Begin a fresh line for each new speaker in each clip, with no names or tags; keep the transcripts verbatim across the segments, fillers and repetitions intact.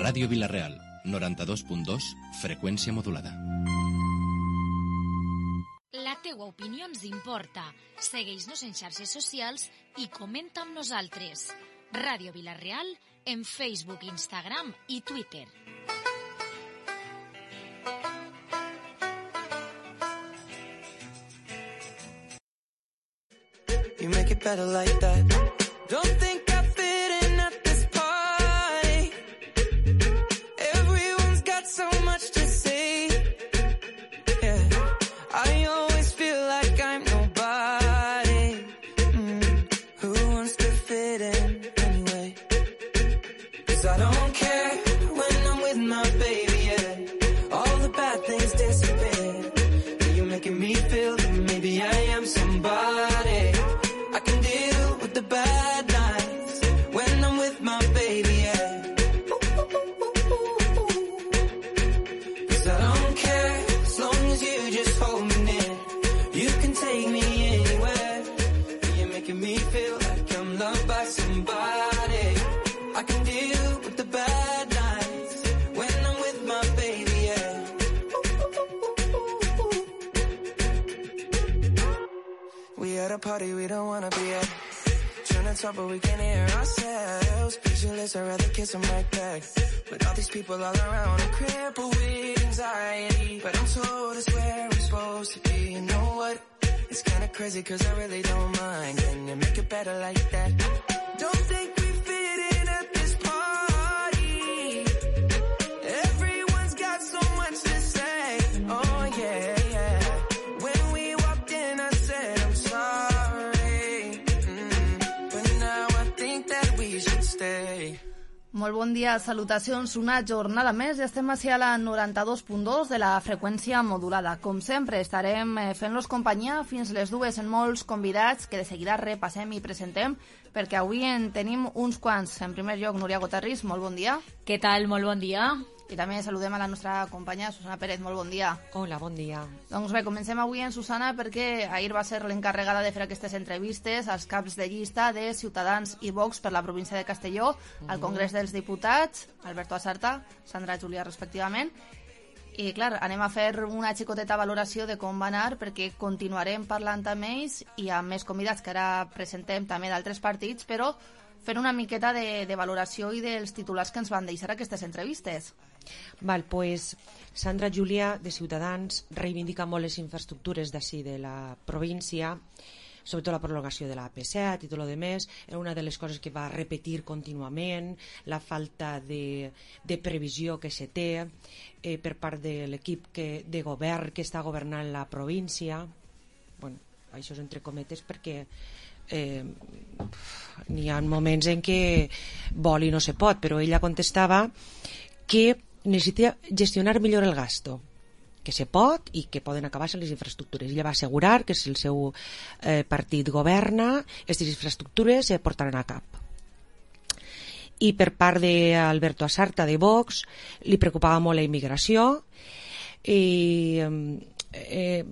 Ràdio Vila-real, noranta-dos punt dos, freqüència modulada.
La teua opinió ens importa. Segueix-nos en xarxes socials i comenta amb nosaltres. Ràdio Vila-real en Facebook, Instagram i Twitter.
You make it better like that. Don't think I fit in at this party. Everyone's got so much to say. Yeah, I always feel like I'm nobody. Mm. Who wants to fit in anyway? 'Cause I don't care when I'm with my baby, yeah. All the bad things disappear. You're making me feel that maybe I am somebody. I can deal with the bad nights when I'm with my baby, yeah. 'Cause I don't care as long as you just hold me near. You can take me anywhere. You're making me feel like I'm loved by somebody. I can deal with the bad nights when I'm with my baby, yeah. We at a party we don't wanna be at. Trying to talk but we can't hear ourselves. Pictureless, I'd rather kiss them right back. But all these people all around are crippled with anxiety. But I'm told it's where I'm supposed to be. You know what? It's kinda crazy 'cause I really don't mind. Can you make it better like that? Don't think we fit in at this party. Everyone's got so much to say. Oh yeah, yeah. When we walked in I said I'm sorry. Mm, but now I think that we should stay.
Molt bon dia, salutacions, una jornada més i estem així a la noranta-dos punt dos de la freqüència modulada. Com sempre, estarem fent-los companyia fins les dues en molts convidats que de seguida repassem i presentem, perquè avui en tenim uns quants. En primer lloc, Núria Gotarris, molt bon dia.
Què tal? Molt bon dia.
I també saludem a la nostra companya Susana Pérez, molt bon dia.
Hola, bon dia.
Doncs bé, comencem avui en Susana perquè ahir va ser l'encarregada de fer aquestes entrevistes als caps de llista de Ciutadans i Vox per la província de Castelló, al Congrés dels Diputats, Alberto Asarta, Sandra Julià respectivament. I clar, anem a fer una xicoteta valoració de com va anar perquè continuarem parlant amb ells i amb més convidats que ara presentem també d'altres partits, però fer una miqueta de, de valoració i dels titulars que ens van deixar aquestes entrevistes.
Val, pues Sandra Julià, de Ciutadans, reivindica molt les infraestructures d'ací de la província, sobretot la prolongació de la A P set i tot el més. Era una de les coses que va repetir contínuament, la falta de, de previsió que se té eh, per part de l'equip que, de govern que està governant la província. Bueno, això és entre cometes perquè eh, n'hi ha moments en què vol i no se pot, però ella contestava que necessita gestionar millor el gasto, que se pot i que poden acabar-se les infraestructures. Ella va assegurar que si el seu eh, partit governa, aquestes infraestructures se portaran a cap. I per part d'Alberto Asarta, de Vox, li preocupava molt la immigració i eh,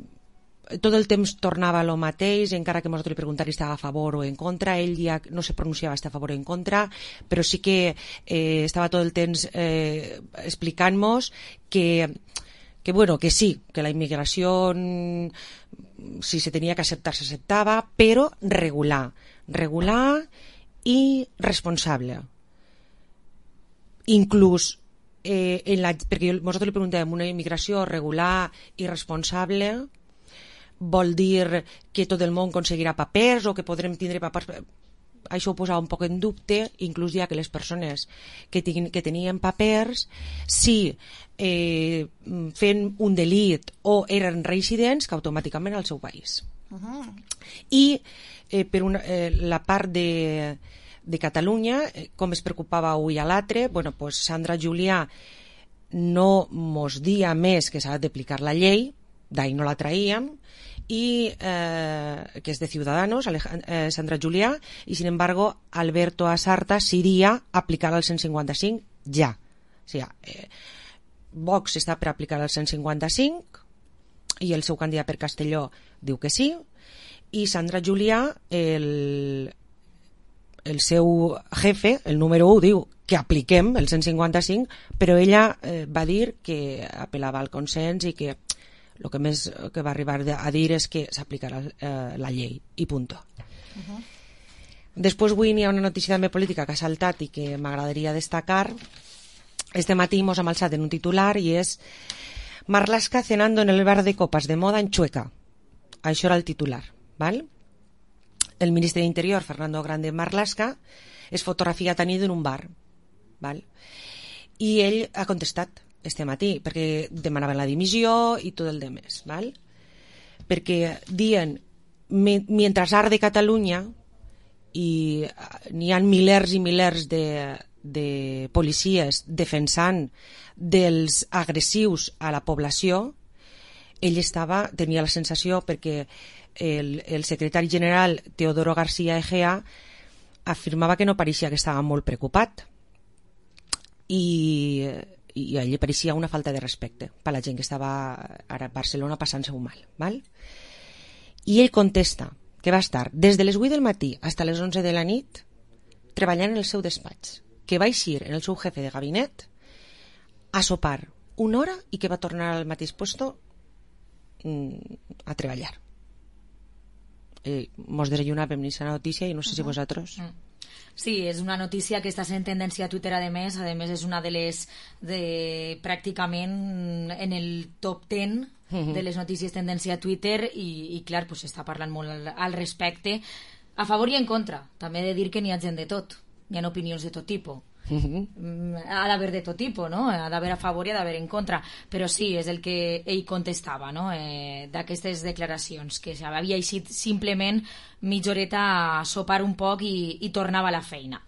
tot el temps tornava a lo mateix, encara que nosaltres li preguntàvem si estava a favor o en contra. Ell ja no se pronunciava si estava a favor o en contra, però sí que eh, estava tot el temps eh, explicant-nos que, que, bueno, que sí, que la immigració, si se tenia que acceptar, s'acceptava, però regular, regular i responsable. Inclús, eh, en la, perquè nosaltres li preguntàvem, una immigració regular i responsable vol dir que tot el món aconseguirà papers o que podrem tindre papers. Això ho posava un poc en dubte, inclús ja que les persones que, tinguin, que tenien papers, si eh, fent un delit o eren residents, que automàticament al seu país. Uh-huh. I eh, per una, eh, la part de, de Catalunya, eh, com es preocupava avui a l'altre, bueno, pues Sandra Julià no mos dia més que s'ha d'aplicar la llei, d'ahir no la traíem, y eh, que es de Ciudadanos, Alejand eh, Sandra Julià, y sin embargo Alberto Asarta s'iria a aplicar el cent cinquanta-cinc ja. O sigui, eh, Vox està per aplicar el cent cinquanta-cinc i el seu candidat per Castelló diu que sí, i Sandra Julià el, el seu jefe, el número u, diu que apliquem el cent cinquanta-cinc, però ella eh, va dir que apel·lava al consens i que el que més que va arribar a dir és que s'aplicarà eh, la llei, i punto. Uh-huh. Després avui hi ha una notícia també política que ha saltat i que m'agradaria destacar. Este matí mos hem alçat en un titular i és Marlaska cenando en el bar de copas de moda en Chueca. Això era el titular, ¿vale? El ministre d'Interior, Fernando Grande Marlaska, es fotografia tenint en un bar, ¿vale? I ell ha contestat este matí, perquè demanaven la dimissió i tot el demés, ¿vale? Perquè diuen, mientras arde Catalunya i n'hi ha milers i milers de, de policies defensant dels agressius a la població, ell estava, tenia la sensació, perquè el, el secretari general Teodoro García Egea afirmava que no pareixia que estava molt preocupat i, i a ell pareixia una falta de respecte per la gent que estava ara a Barcelona passant-se-ho mal, val? I ell contesta que va estar des de les vuit del matí fins a les onze de la nit treballant en el seu despatx, que va eixir en el seu jefe de gabinet a sopar una hora i que va tornar al mateix puesto a treballar. Eh, mos desayunàvem ni la notícia i no sé si vosaltres...
Mm. Sí, és una notícia que està sent tendència a Twitter, a més, a més és una de les de, pràcticament en el top ten uh-huh. de les notícies tendència a Twitter i, i clar, pues, s'està parlant molt al, al respecte, a favor i en contra. També he de dir que n'hi ha gent de tot, n'hi ha opinions de tot tipus. Uh-huh. Ha d'haver de tot tipus, no? Ha d'haver a favor i ha d'haver en contra, però sí, és el que ell contestava, no? Eh, d'aquestes declaracions, que havia eixit simplement mitja horeta a sopar un poc i, i tornava a la feina.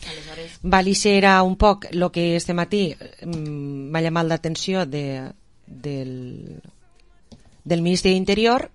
Aleshores...
Valice era un poc el que este matí m'ha llamat l'atenció de, del, del ministre d'Interior.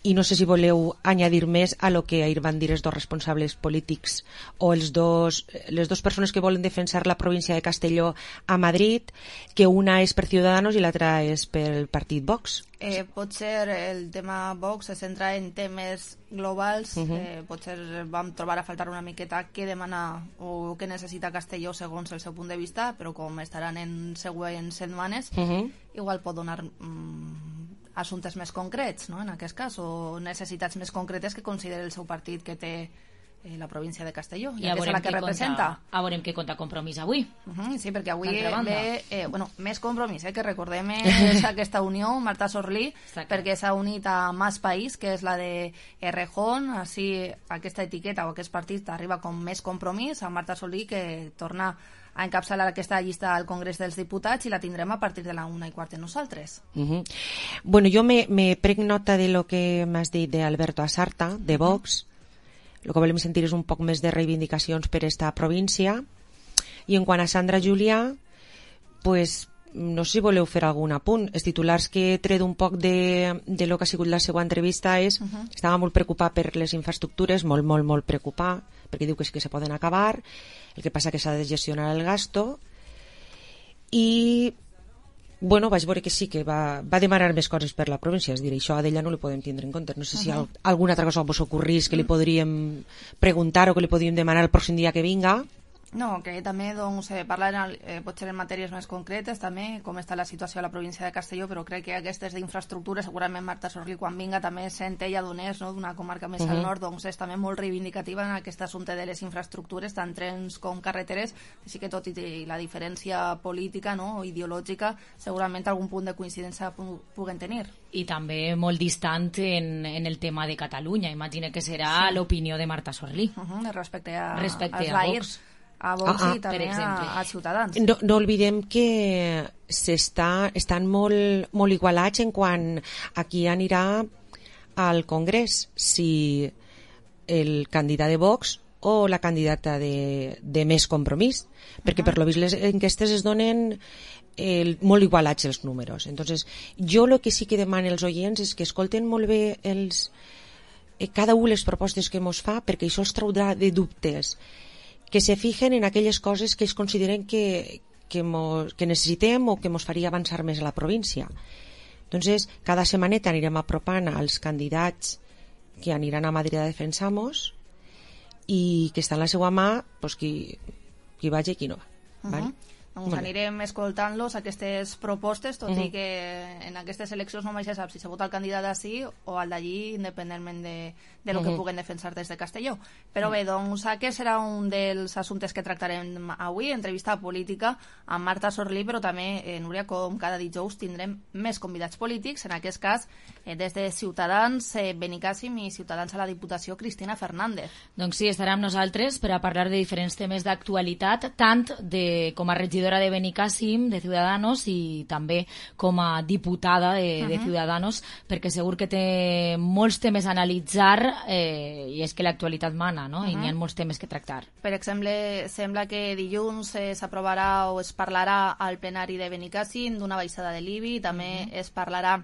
I no sé si voleu añadir més a lo que ahir van dir els dos responsables polítics o els dos, les dues persones que volen defensar la província de Castelló a Madrid, que una és per Ciudadanos i l'altra és pel partit Vox.
Eh, potser el tema Vox se centra en temes globals. Uh-huh. eh, potser vam trobar a faltar una miqueta què demana o què necessita Castelló segons el seu punt de vista, però com estaran en següents setmanes, uh-huh. igual pot donar... Mm, assumptes més concrets, no? En aquest cas, o necessitats més concretes que considera el seu partit que té eh, la província de Castelló, i ja que és la que representa.
A veurem què compta Compromís avui.
Uh-huh, sí, perquè avui ve eh, bueno, més Compromís, eh, que recordem és aquesta unió, Marta Sorlí, Exacte. Perquè s'ha unit a Más País, que és la de Errejón, així aquesta etiqueta o aquest partit arriba com Més Compromís, a Marta Sorlí, que torna a encapçalar aquesta llista al Congrés dels Diputats i la tindrem a partir de la una i quart de nosaltres.
Uh-huh. Bueno, jo me, me prenc nota de lo que m'has dit d'Alberto Asarta, de Vox. El que volem sentir és un poc més de reivindicacions per esta província. I en quant a Sandra Julià, pues, no sé si voleu fer algun apunt. Els titulars que he tret un poc de, de lo que ha sigut la seva entrevista és uh-huh. estava molt preocupat per les infraestructures, molt, molt, molt preocupat, perquè diu que sí que se poden acabar, el que passa que s'ha de gestionar el gasto, i bueno, vaig veure que sí que va, va demanar més coses per la província, és dir, això a d'ella no li podem tindre en compte. No sé si uh-huh. alguna altra cosa vos ocorrís que li podríem preguntar o que li podríem demanar el pròxim dia que vinga.
No, que també doncs, eh, parlar eh, potser en matèries més concretes també, com està la situació a la província de Castelló, però crec que aquestes d'infraestructures, segurament Marta Sorlí quan vinga també sent ella d'Onés, no? D'una comarca més uh-huh. al nord, doncs és també molt reivindicativa en aquest assumpte de les infraestructures, tant trens com carreteres, així que tot i la diferència política, no? O ideològica, segurament algun punt de coincidència pu puguen tenir.
I també molt distant en, en el tema de Catalunya, imagina que serà sí. l'opinió de Marta Sorlí.
Uh-huh, respecte a,
respecte
als
a Vox.
A Vox
ah,
i també a, a Ciutadans.
No, no oblidem que s'està, estan molt, molt igualats en quant a qui anirà al Congrés, si el candidat de Vox o la candidata de, de Més Compromís, perquè uh-huh. per lo vist les enquestes es donen el, molt igualats els números. Entonces, jo el que sí que demano als oients és que escolten molt bé els, eh, cada una les propostes que mos fa, perquè això els traurà de dubtes, que se fijen en aquelles coses que es consideren que, que, mos, que necessitem o que ens faria avançar més a la província. Entonces, cada setmaneta anirem apropant als candidats que aniran a Madrid a defensar-nos i que està en la seva mà pues, qui, qui vagi i qui no va. Uh -huh. Vale?
Doncs vale. Anirem escoltant-los aquestes propostes, tot uh -huh. i que en aquestes eleccions només se sap si se vota el candidat d'ací o el d'allí, independentment de, de lo uh -huh. que puguen defensar des de Castelló. Però uh -huh. bé, doncs aquest serà un dels assumptes que tractarem avui, entrevista política amb Marta Sorlí, però també, eh, Núria, com cada dijous tindrem més convidats polítics, en aquest cas eh, des de Ciutadans, eh, Benicàssim, i Ciutadans a la Diputació, Cristina Fernández.
Doncs sí, estarà amb nosaltres per a parlar de diferents temes d'actualitat, tant de, com a regidora de Benicàssim, de Ciudadanos, i també com a diputada de, uh -huh. de Ciudadanos, perquè segur que té molts temes a analitzar, eh, i és que l'actualitat mana, no? Uh -huh. I n'hi ha molts temes que tractar.
Per exemple, sembla que dilluns eh, s'aprovarà o es parlarà al plenari de Benicàssim d'una baixada de l'I B I, també uh -huh. es parlarà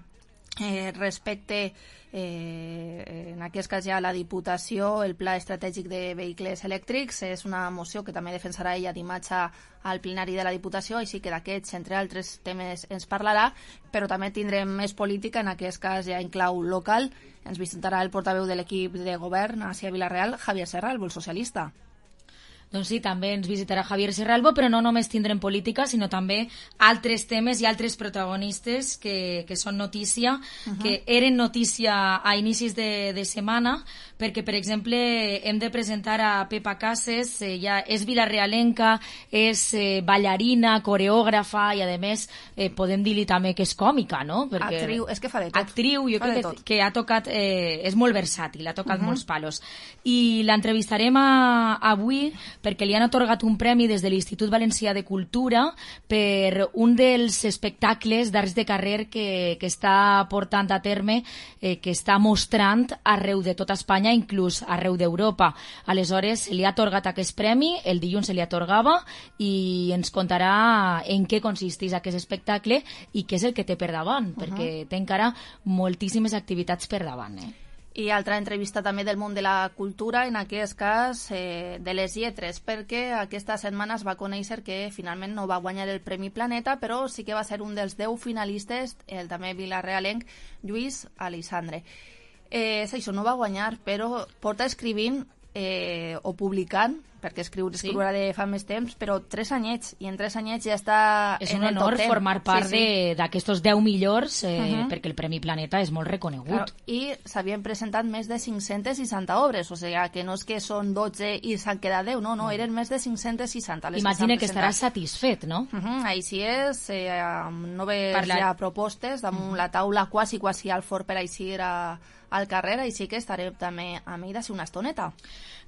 eh, respecte Eh, en aquest cas ja la Diputació, el Pla Estratègic de Vehicles Elèctrics, és una moció que també defensarà ella dimarts al plenari de la Diputació, així que d'aquests, entre altres temes, ens parlarà, però també tindrem més política, en aquest cas ja en clau local. Ens visitarà el portaveu de l'equip de govern a Vilareal, Javier Serra, el vol socialista.
Doncs sí, també ens visitarà Javier Serralbo, però no només tindrem política, sinó també altres temes i altres protagonistes que, que són notícia, uh -huh. que eren notícia a inicis de, de setmana, perquè, per exemple, hem de presentar a Pepa Cases, ella és vilarealenca, és eh, ballarina, coreògrafa, i a més eh, podem dir-li també que és còmica, no?
Perquè actriu, és que fa de tot.
Actriu, jo
fa
crec que, que ha tocat, eh, és molt versàtil, ha tocat uh -huh. molts palos. I l'entrevistarem a, avui perquè li han atorgat un premi des de l'Institut Valencià de Cultura per un dels espectacles d'arts de carrer que, que està portant a terme, eh, que està mostrant arreu de tota Espanya, inclús arreu d'Europa. Aleshores, se li ha atorgat aquest premi, el dilluns se li atorgava, i ens contarà en què consisteix aquest espectacle i què és el que té per davant, uh -huh. perquè té encara moltíssimes activitats per davant, eh?
I altra entrevista també del món de la cultura, en aquest cas eh, de les lletres, perquè aquesta setmana es va conèixer que finalment no va guanyar el Premi Planeta, però sí que va ser un dels deu finalistes, el també vilarealenc Lluís Aleixandre. Eh, és això, no va guanyar, però porta escrivint eh, o publicant, perquè escriure, escriure sí. de fa més temps, però tres anyets, i en tres anyets ja està
és
en
un
el
honor
top ten.
formar part
sí, sí.
d'aquestos deu millors, eh, uh -huh. perquè el Premi Planeta és molt reconegut.
Claro, i s'havien presentat més de cinc-centes seixanta obres, o sigui que no és que són dotze i s'han quedat deu, no, no, eren més de cinc-centes seixanta.
Imagina que, que estaràs satisfet, no?
Uh -huh, així és, eh, amb noves Parlar... ja propostes damunt uh -huh. la taula, quasi, quasi al fort per aixir a, al carrer, així que estarem també amb ell d'ací una estoneta.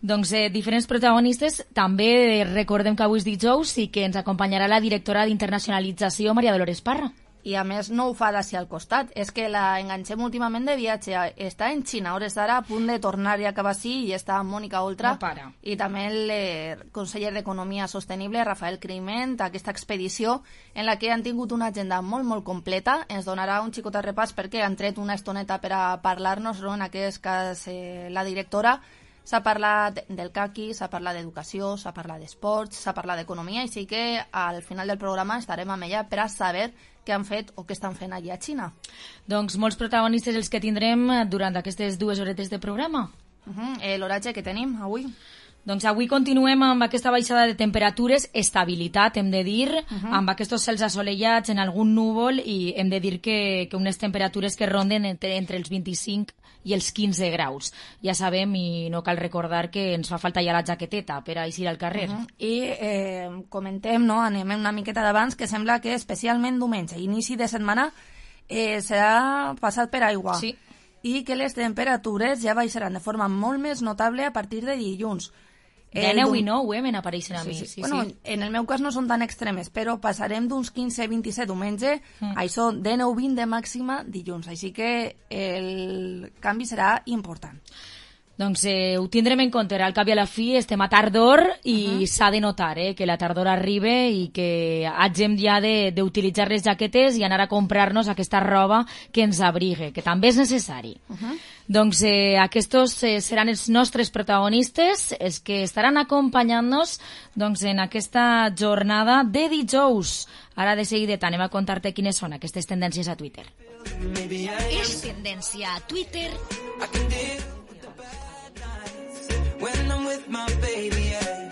Doncs eh, diferents protagonistes. També eh, recordem que avui és dijous i que ens acompanyarà la directora d'Internacionalització, Maria Dolores Parra.
I a més no ho fa d'ací al costat, és que la enganxem últimament de viatge, està en Xina, a hores d'ara a punt de tornar i acabar així, i està Mònica Oltra,
no para.
I també el eh, conseller d'Economia Sostenible, Rafael Criment, aquesta expedició en la que han tingut una agenda molt, molt completa. Ens donarà un xicot repàs perquè han tret una estoneta per a parlar-nos, no? En aquest cas eh, la directora. S'ha parlat del caqui, s'ha parlat d'educació, s'ha parlat d'esports, s'ha parlat d'economia, així que al final del programa estarem amb ella per a saber què han fet o què estan fent allà a Xina.
Doncs molts protagonistes els que tindrem durant aquestes dues horetes de programa.
Uh -huh. eh, L'oratge que tenim avui?
Doncs avui continuem amb aquesta baixada de temperatures, estabilitat, hem de dir, uh -huh. amb aquests cels assolellats en algun núvol, i hem de dir que, que unes temperatures que ronden entre, entre els vint-i-cinc i els quinze graus. Ja sabem, i no cal recordar, que ens fa falta ja la jaqueteta per a eixir al carrer. Uh -huh.
I eh, comentem, no, anem una miqueta d'abans, que sembla que especialment diumenge, inici de setmana, eh, serà passat per aigua.
Sí.
I que les temperatures ja baixaran de forma molt més notable a partir de dilluns.
dinou i nou, eh, me n'apareixen a mi.
Sí, sí.
Sí,
bueno,
sí.
En el meu cas no són tan extremes, però passarem d'uns quinze a vint-i-set diumenge, mm. això dinou a vint de màxima dilluns, així que el canvi serà important.
Doncs eh, ho tindrem en compte, al cap i a la fi estem a tardor i uh -huh. s'ha de notar eh, que la tardor arriba i que hagem ja d'utilitzar les jaquetes i anar a comprar-nos aquesta roba que ens abrigue, que també és necessari. Uh -huh. Doncs eh, aquests eh, seran els nostres protagonistes, els que estaran acompanyant-nos doncs, en aquesta jornada de dijous. Ara de seguida anem a contar-te quines són aquestes tendències a Twitter.
És tendència a Twitter.
When I'm with with my baby, yeah.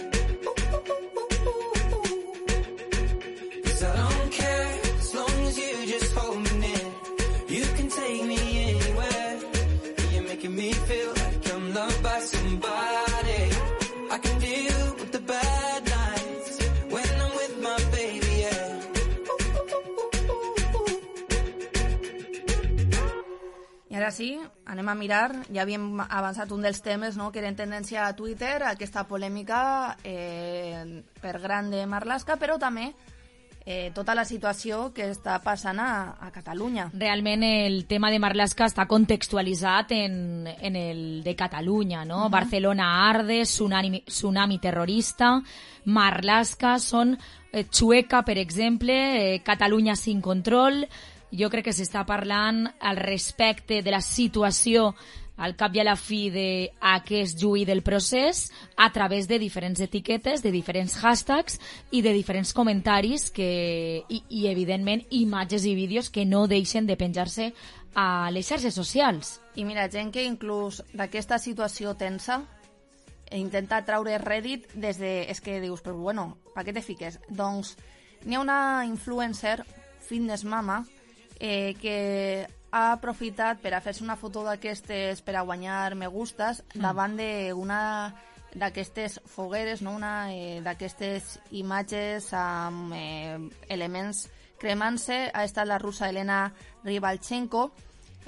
Cause I don't care, as long as you just hold me near. You can take me anywhere. You're making me feel like I'm loved by somebody. I can deal with the bad nights when I'm with my baby, yeah.
I ara sí, anem a mirar, ja havíem avançat un dels temes, no?, que era en tendència a Twitter, aquesta polèmica eh, per gran de Marlaska, però també eh, tota la situació que està passant a, a Catalunya.
Realment el tema de Marlaska està contextualitzat en, en el de Catalunya, no? Uh-huh. Barcelona arde, tsunami, tsunami terrorista, Marlaska són eh, Chueca, per exemple, eh, Catalunya sin control. Jo crec que s'està parlant al respecte de la situació al cap i a la fi d'aquest juí del procés a través de diferents etiquetes, de diferents hashtags i de diferents comentaris que, i, i evidentment, imatges i vídeos que no deixen de penjar-se a les xarxes socials.
I mira, gent que inclús d'aquesta situació tensa intenta traure rèdit des de... És que dius, però bueno, per què te fiques? Doncs n'hi ha una influencer, Fitness Mama, eh, que ha aprofitat per a fer-se una foto d'aquestes per a guanyar me gustes mm. davant d'una d'aquestes fogueres, no? Una eh, d'aquestes imatges amb eh, elements cremant-se. Ha estat la russa Elena Ribalchenko,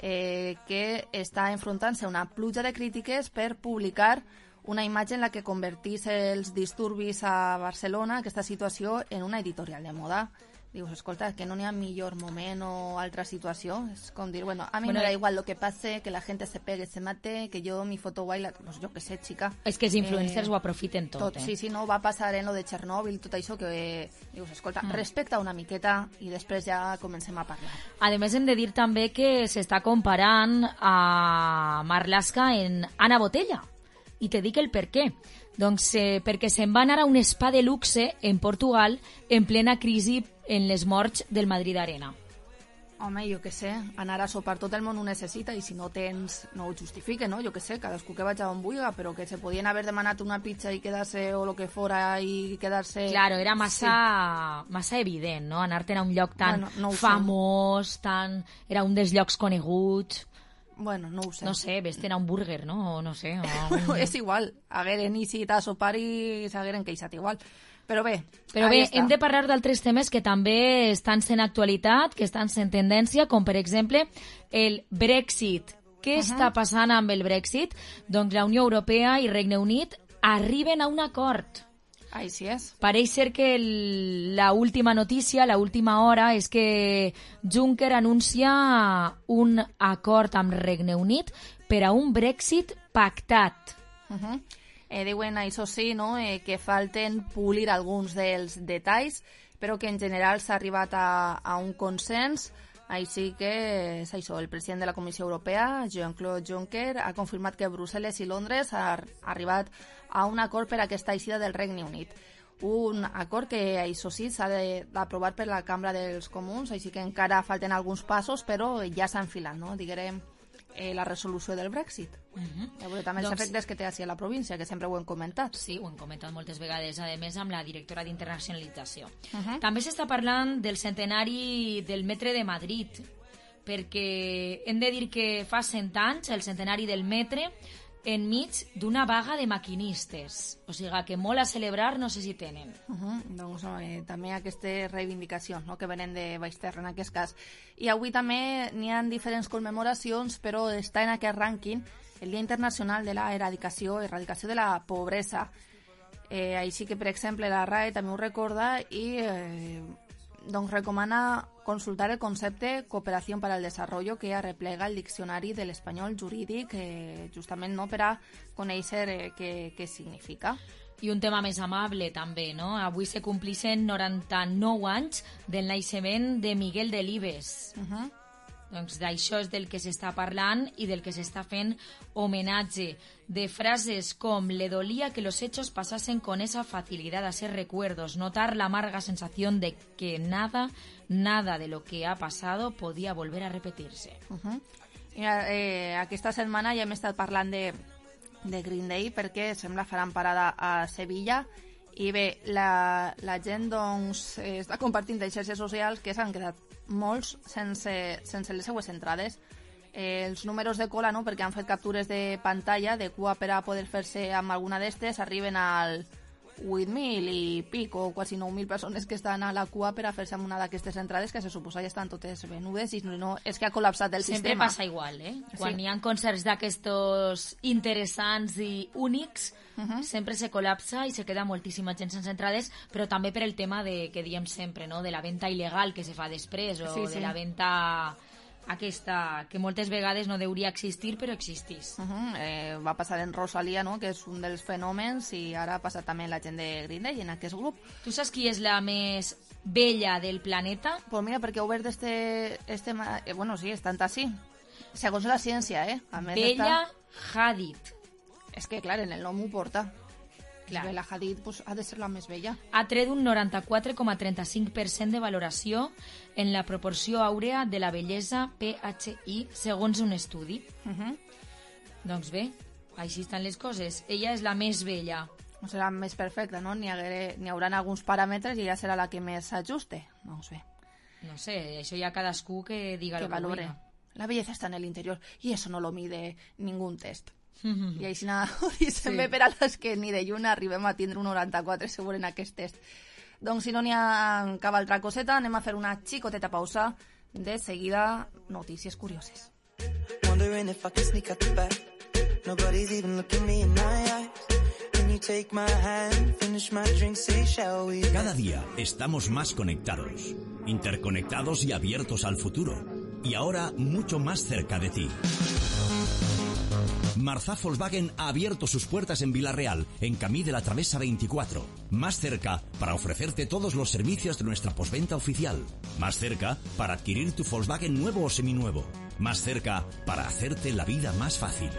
eh, que està enfrontant-se a una pluja de crítiques per publicar una imatge en la que convertís els disturbis a Barcelona, aquesta situació, en una editorial de moda. Dius, escolta, que no n'hi ha millor moment o altra situació. És com dir, bueno, a mi bueno, me da igual lo que pase, que la gente se pegue, se mate, que yo mi foto guay, la... pues yo que sé, chica.
És que els influencers eh, ho aprofiten tot, tot eh?
Sí, sí, no, va passar en lo de Chernobyl, tot això, que eh, dius, escolta, mm. respecta una miqueta i després ja comencem a parlar.
A més, hem de dir també que s'està comparant a Marlaska en Ana Botella. I te dic el per què. Doncs eh, perquè se'n va anar a un spa de luxe en Portugal en plena crisi en les morts del Madrid Arena.
Home, jo què sé, anar a sopar tot el món ho necessita i si no tens, no ho justifique, no? Jo què sé, cadascú que vaig a on vulga, però que se podien haver demanat una pizza i quedar-se o lo que fora i quedar-se...
Claro, era massa, sí. massa evident, no? Anar-te'n a un lloc tan bueno, no famós, tan... Era un dels llocs coneguts...
Bueno, no ho sé.
No sé, vés-te'n a un burger, no? O no sé. O un...
és igual. Hagueren isit a sopar i s'hagueren queixat igual. Però bé,
Però bé, està. Hem de parlar d'altres temes que també estan sent actualitat, que estan sent tendència, com per exemple el Brexit. Què uh-huh. està passant amb el Brexit? Doncs la Unió Europea i Regne Unit arriben a un acord.
Així és.
Pareix ser que el, la última notícia, la última hora, és que Juncker anuncia un acord amb Regne Unit per a un Brexit pactat.
Uh-huh. Eh, diuen, això sí, no? eh, que falten polir alguns dels detalls, però que en general s'ha arribat a, a un consens. Així que és això, el president de la Comissió Europea, Jean-Claude Juncker, ha confirmat que Brussel·les i Londres han arribat a un acord per a aquesta eixida del Regne Unit. Un acord que, això sí, s'ha d'aprovar per la Cambra dels Comuns, així que encara falten alguns passos, però ja s'ha enfilat, no? Diguem, eh, la resolució del Brexit. Uh-huh. A veure, també els doncs... efectes que té així a la província, que sempre ho hem comentat.
Sí, ho hem comentat moltes vegades, a més amb la directora d'internacionalització. Uh-huh. També s'està parlant del centenari del metre de Madrid, perquè hem de dir que fa cent anys, el centenari del metre, enmig d'una vaga de maquinistes. O sigui que molt a celebrar no sé si tenen.
Uh-huh. Doncs eh, també aquestes reivindicacions, no?, que venen de baix terra en aquest cas. I avui també n'hi ha diferents commemoracions, però està en aquest rànquing el Dia Internacional de la Eradicació, erradicació de la pobresa. Eh, així que, per exemple, la R A E també ho recorda i eh, doncs recomana consultar el concepte Cooperació per al Desarrollo, que arreplega el diccionari de l'espanyol jurídic, eh, justament no per a conèixer eh, què, què significa.
I un tema més amable també, no? Avui se complixen noranta-nou anys del naixement de Miguel Delibes. Uh-huh. Doncs d'això és del que s'està parlant i del que s'està fent homenatge. De frases com «Le dolía que los hechos pasasen con esa facilidad a ser recuerdos, notar la amarga sensación de que nada, nada de lo que ha pasado podía volver a repetirse».
Uh-huh. Mira, eh, aquesta setmana ja hem estat parlant de de Green Day, perquè sembla faran parada a Sevilla. I bé, la, la gent doncs, eh, està compartint en xarxes socials que s'han quedat molts sense, sense les seues entrades. Eh, els números de cola, no?, perquè han fet captures de pantalla de cua per a poder fer-se amb alguna d'estes, arriben al vuit mil i pic, o quasi nou mil persones que estan a la cua per a fer-se amb una d'aquestes entrades, que se suposa ja estan totes venudes, i no, és que ha col·lapsat el
Sempre
sistema.
Sempre passa igual, eh?
Sí.
Quan hi ha concerts d'aquestos interessants i únics, uh-huh. sempre se col·lapsa i se queda moltíssima gent sense entrades, però també per el tema de, que diem sempre, no?, de la venda il·legal que se fa després, o
sí, sí.
de la venda aquesta, que moltes vegades no hauria existir, però existís.
Uh-huh. eh, va passar en Rosalía, no?, que és un dels fenòmens, i ara ha passat també la gent de Green Day en aquest grup.
Tu saps qui és la més vella del planeta?
Pues mira, perquè ho veus d'este... Este, eh, bueno, sí, és tant així. Segons la ciència, eh? A més
Bella
està...
Hadid.
És que, clar, en el nom ho porta.
Clar.
Bella Hadid pues, ha de ser la més bella.
Ha tret un noranta-quatre coma trenta-cinc per cent de valoració en la proporció àurea de la bellesa P H I, segons un estudi.
Uh-huh.
Doncs bé, així estan les coses. Ella és la més bella.
No serà més perfecta, no? N'hi hagué, n'hi haurà alguns paràmetres i ella serà la que més s'ajuste. No ho sé.
No sé, això ja cadascú que diga
Que
lo que
valore.
vulga.
La belleza está en el interior y eso no lo mide ningún test.
Mm-hmm.
I així ho dicen bé per a les que ni de lluna arribem a tindre un noranta-quatre segur en aquest test. Doncs si no n'hi ha cap altra coseta, anem a fer una xicoteta pausa. De seguida, notícies curioses.
Wondering if I can sneak out the back. Nobody's even looking me in my eyes. Can you take my hand, finish my drink, say shall we?
Cada día estamos más conectados, interconectados y abiertos al futuro. Y ahora mucho más cerca de ti. Marzá Volkswagen ha abierto sus puertas en Vila-real, en Camí de la Travesa veinticuatro. Más cerca para ofrecerte todos los servicios de nuestra postventa oficial. Más cerca para adquirir tu Volkswagen nuevo o seminuevo. Más cerca para hacerte la vida más fácil.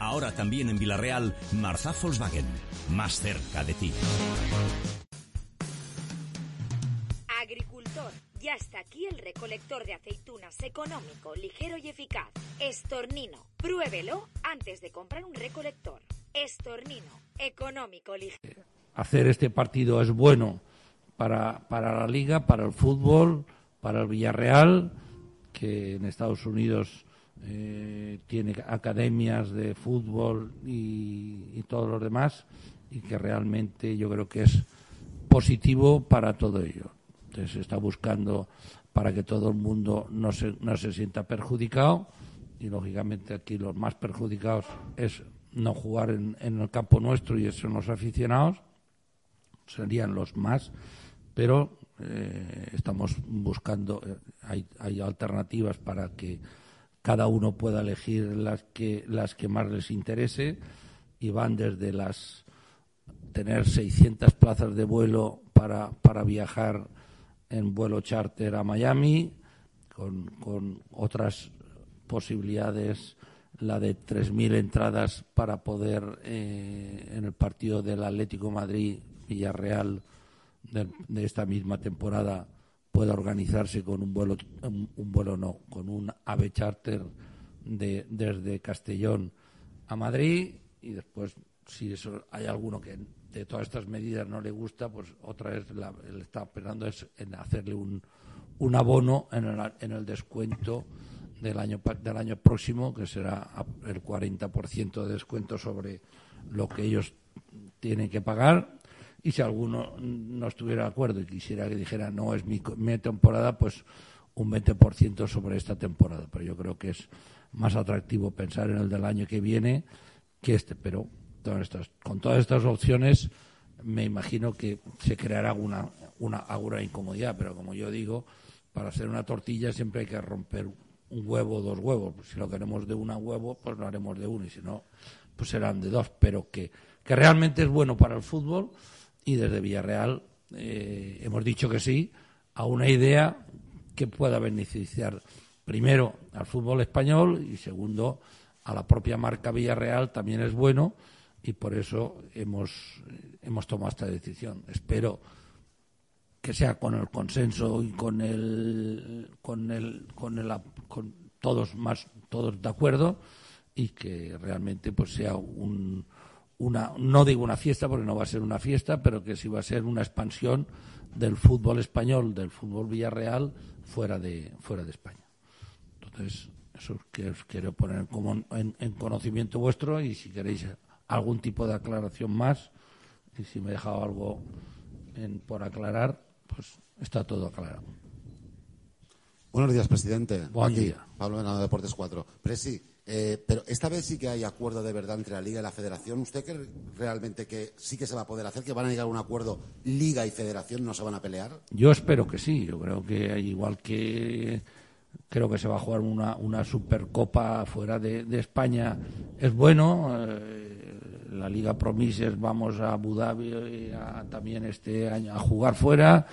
Ahora también en Vila-real, Marzá Volkswagen. Más cerca de ti.
Agricultor. Ya está aquí el recolector de aceitunas económico, ligero y eficaz. Estornino. Pruébelo antes de comprar un recolector. Estornino. Económico, ligero.
Hacer este partido es bueno para, para la Liga, para el fútbol, para el Villarreal, que en Estados Unidos eh, tiene academias de fútbol y, y todo lo demás, y que realmente yo creo que es positivo para todo ello. Entonces se está buscando para que todo el mundo no se, no se sienta perjudicado, y lógicamente aquí los más perjudicados es no jugar en, en el campo nuestro, y eso son los aficionados, serían los más, pero eh, estamos buscando, eh, hay, hay alternativas para que cada uno pueda elegir las que, las que más les interese, y van desde las tener seiscientas plazas de vuelo para, para viajar en vuelo charter a Miami, con, con otras posibilidades, la de tres mil entradas para poder eh, en el partido del Atlético Madrid-Villarreal de, de esta misma temporada pueda organizarse con un vuelo, un, un vuelo no, con un AVE charter de, desde Castellón a Madrid, y después, si eso hay alguno que de todas estas medidas no le gusta, pues otra vez la, él está pensando es en hacerle un, un abono en el, en el descuento del año del año próximo, que será el cuarenta por ciento de descuento sobre lo que ellos tienen que pagar. Y si alguno no estuviera de acuerdo y quisiera que dijera no es mi, mi temporada, pues un veinte por ciento sobre esta temporada. Pero yo creo que es más atractivo pensar en el del año que viene que este, pero todas estas, con todas estas opciones me imagino que se creará una, una, alguna incomodidad, pero como yo digo, para hacer una tortilla siempre hay que romper un huevo o dos huevos. Si lo queremos de un huevo, pues lo haremos de uno, y si no, pues serán de dos, pero que, que realmente es bueno para el fútbol, y desde Villarreal eh, hemos dicho que sí a una idea que pueda beneficiar primero al fútbol español, y segundo a la propia marca Villarreal también es bueno, y por eso hemos, hemos tomado esta decisión. Espero que sea con el consenso y con el con el con el con todos más todos de acuerdo, y que realmente pues sea un, una, no digo una fiesta porque no va a ser una fiesta, pero que sí va a ser una expansión del fútbol español, del fútbol Villarreal fuera de fuera de España. Entonces, eso es que os quiero poner como en, en conocimiento vuestro, y si queréis algún tipo de aclaración más, y si me he dejado algo en, por aclarar, pues está todo aclarado.
Buenos días, presidente.
Buen
Aquí,
día.
Pablo Venado, Deportes cuatro. Presi, eh, pero esta vez sí que hay acuerdo de verdad entre la Liga y la Federación. ¿Usted cree realmente que sí que se va a poder hacer, que van a llegar a un acuerdo Liga y Federación, no se van a pelear?
Yo espero que sí. Yo creo que igual que creo que se va a jugar una, una Supercopa fuera de, de España, es bueno. Eh, la Liga Promises, vamos a Abu Dhabi a, también este año a jugar fuera.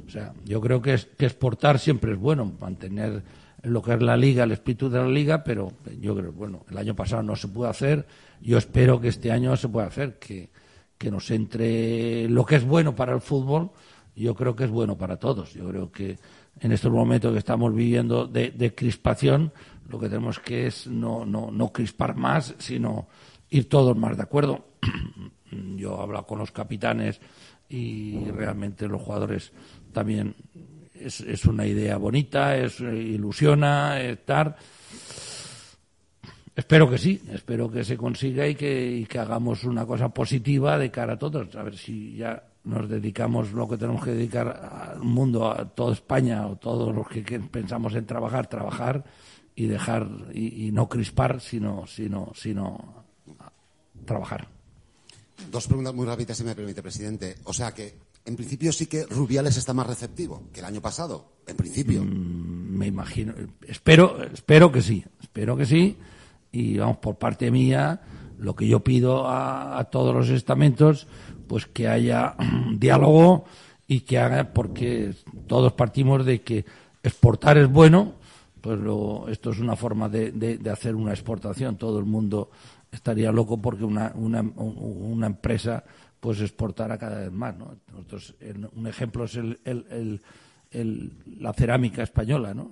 O sea, yo creo que, es, que exportar siempre es bueno, mantener lo que es la Liga, el espíritu de la Liga, pero yo creo, bueno, el año pasado no se pudo hacer, yo espero que este año se pueda hacer, que, que nos entre lo que es bueno para el fútbol, yo creo que es bueno para todos. Yo creo que en estos momentos que estamos viviendo de, de crispación, lo que tenemos que es no, no, no crispar más, sino ir todos más de acuerdo. Yo he hablado con los capitanes y realmente los jugadores también es, es una idea bonita, es ilusiona estar. Espero que sí, espero que se consiga y que, y que hagamos una cosa positiva de cara a todos. A ver si ya nos dedicamos lo que tenemos que dedicar al mundo, a toda España o todos los que, que pensamos en trabajar, trabajar y dejar y, y no crispar, sino, sino, sino trabajar.
Dos preguntas muy rápidas, si me permite, presidente. O sea que, en principio, sí que Rubiales está más receptivo que el año pasado, en principio.
Mm, me imagino, espero, espero que sí, espero que sí. Y vamos, por parte mía, lo que yo pido a, a todos los estamentos, pues que haya diálogo y que haga, porque todos partimos de que exportar es bueno, pues lo, esto es una forma de, de, de hacer una exportación. Todo el mundo estaría loco porque una, una, una empresa pues exportara cada vez más, ¿no? Nosotros, el, un ejemplo es el, el, el, el, la cerámica española, ¿no?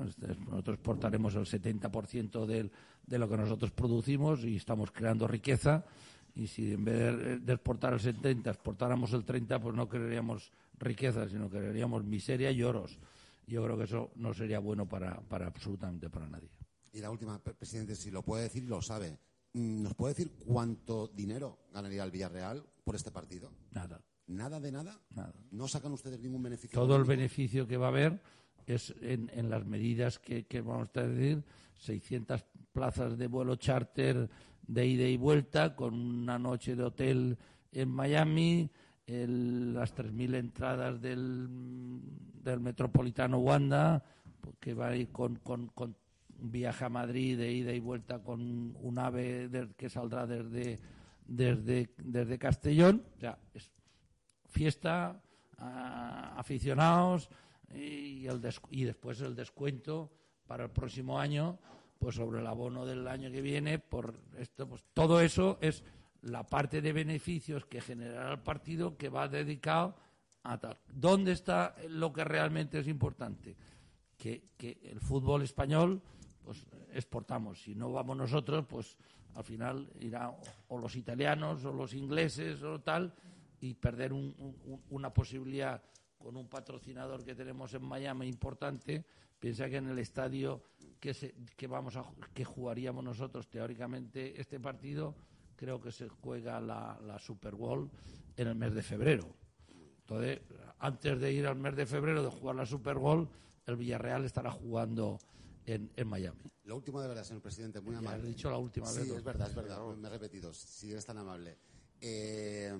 Nosotros exportaremos el setenta por ciento del, de lo que nosotros producimos y estamos creando riqueza, y si en vez de, de exportar el setenta exportáramos el treinta, pues no crearíamos riqueza, sino crearíamos miseria y lloros. Yo creo que eso no sería bueno para, para absolutamente para nadie.
Y la última, presidente, si lo puede decir, lo sabe. ¿Nos puede decir cuánto dinero ganaría el Villarreal por este partido?
Nada.
¿Nada de nada?
Nada.
¿No sacan ustedes ningún beneficio?
Todo el
económico?
beneficio que va a haber es en, en las medidas que, que vamos a decir, seiscientas plazas de vuelo charter de ida y vuelta, con una noche de hotel en Miami, el, las tres mil entradas del, del Metropolitano Wanda, que va a ir con, con, con un viaje a Madrid de ida y vuelta con un ave de, que saldrá desde, desde, desde Castellón. O sea, es fiesta, a, aficionados y, el des, y después el descuento para el próximo año, pues sobre el abono del año que viene. Por esto, pues todo eso es la parte de beneficios que generará el partido, que va dedicado a tal. ¿Dónde está lo que realmente es importante? Que, que el fútbol español, pues exportamos. Si no vamos nosotros, pues al final irá o los italianos o los ingleses o tal, y perder un, un, una posibilidad con un patrocinador que tenemos en Miami importante. Piensa que en el estadio que, se, que vamos a que jugaríamos nosotros teóricamente este partido, creo que se juega la, la Super Bowl en el mes de febrero. Entonces, antes de ir al mes de febrero de jugar la Super Bowl, el Villarreal estará jugando en, en Miami.
Lo último de verdad, señor presidente, muy amable.
Ya he dicho la última
sí,
vez.
Sí, es verdad, es verdad, me he repetido, si eres tan amable. Eh,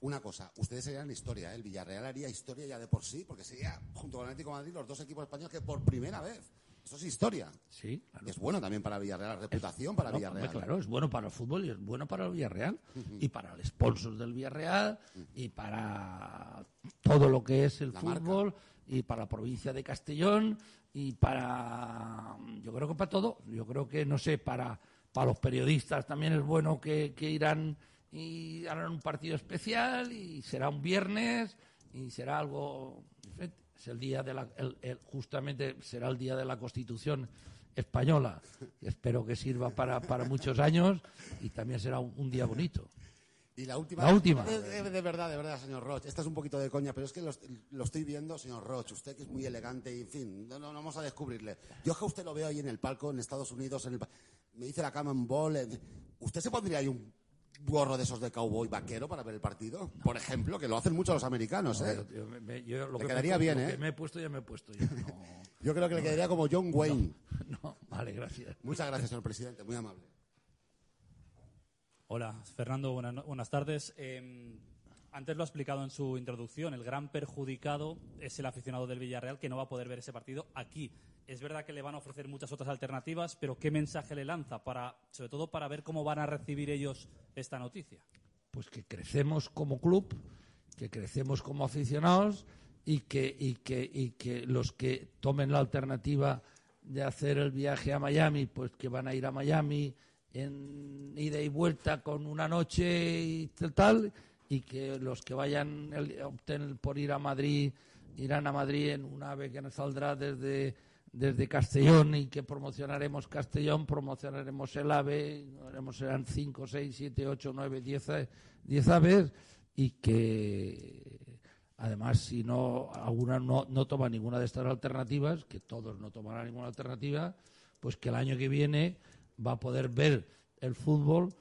una cosa, ustedes serían historia, ¿eh? El Villarreal haría historia ya de por sí, porque sería, junto con el Atlético de Madrid, los dos equipos españoles que por primera vez. Eso es historia.
Sí, claro.
Es bueno también para Villarreal, la reputación es, para
claro,
Villarreal.
Claro, es bueno para el fútbol y es bueno para el Villarreal, uh-huh. y para el sponsor del Villarreal, uh-huh. y para todo lo que es el la fútbol, marca. Y para la provincia de Castellón, y para, yo creo que para todo. Yo creo que, no sé, para, para los periodistas también es bueno que, que irán y harán un partido especial, y será un viernes, y será algo diferente. Es el día de la, el, el, justamente será el día de la Constitución española. Espero que sirva para, para muchos años y también será un, un día bonito.
Y la última.
La última.
De, de, de verdad, de verdad, señor Roch. Esta es un poquito de coña, pero es que lo, lo estoy viendo, señor Roch. Usted que es muy elegante y, en fin, no, no, no vamos a descubrirle. Yo es que usted lo veo ahí en el palco, en Estados Unidos, en el, me dice la Common Ball. En, ¿usted se pondría ahí un gorro de esos de cowboy vaquero para ver el partido? No. Por ejemplo, que lo hacen mucho los americanos, no, ¿eh? Yo, me, yo, lo
le
que quedaría bien,
lo
¿eh?
Que me he puesto, ya me he puesto. Yo, no,
yo creo que
no,
le quedaría como John Wayne.
No, no, vale, gracias.
Muchas gracias, señor presidente, muy amable.
Hola, Fernando, buenas, buenas tardes. Eh, antes lo ha explicado en su introducción, el gran perjudicado es el aficionado del Villarreal que no va a poder ver ese partido aquí. Es verdad que le van a ofrecer muchas otras alternativas, pero ¿qué mensaje le lanza, para, sobre todo para ver cómo van a recibir ellos esta noticia?
Pues que crecemos como club, que crecemos como aficionados y que, y que, y que los que tomen la alternativa de hacer el viaje a Miami, pues que van a ir a Miami en ida y vuelta con una noche y tal, y que los que vayan opten por ir a Madrid irán a Madrid en un AVE que nos saldrá desde desde Castellón y que promocionaremos Castellón, promocionaremos el AVE, haremos serán cinco, seis, siete, ocho, nueve, diez, diez aves, y que además si no alguna no, no toma ninguna de estas alternativas, que todos no tomarán ninguna alternativa, pues que el año que viene va a poder ver el fútbol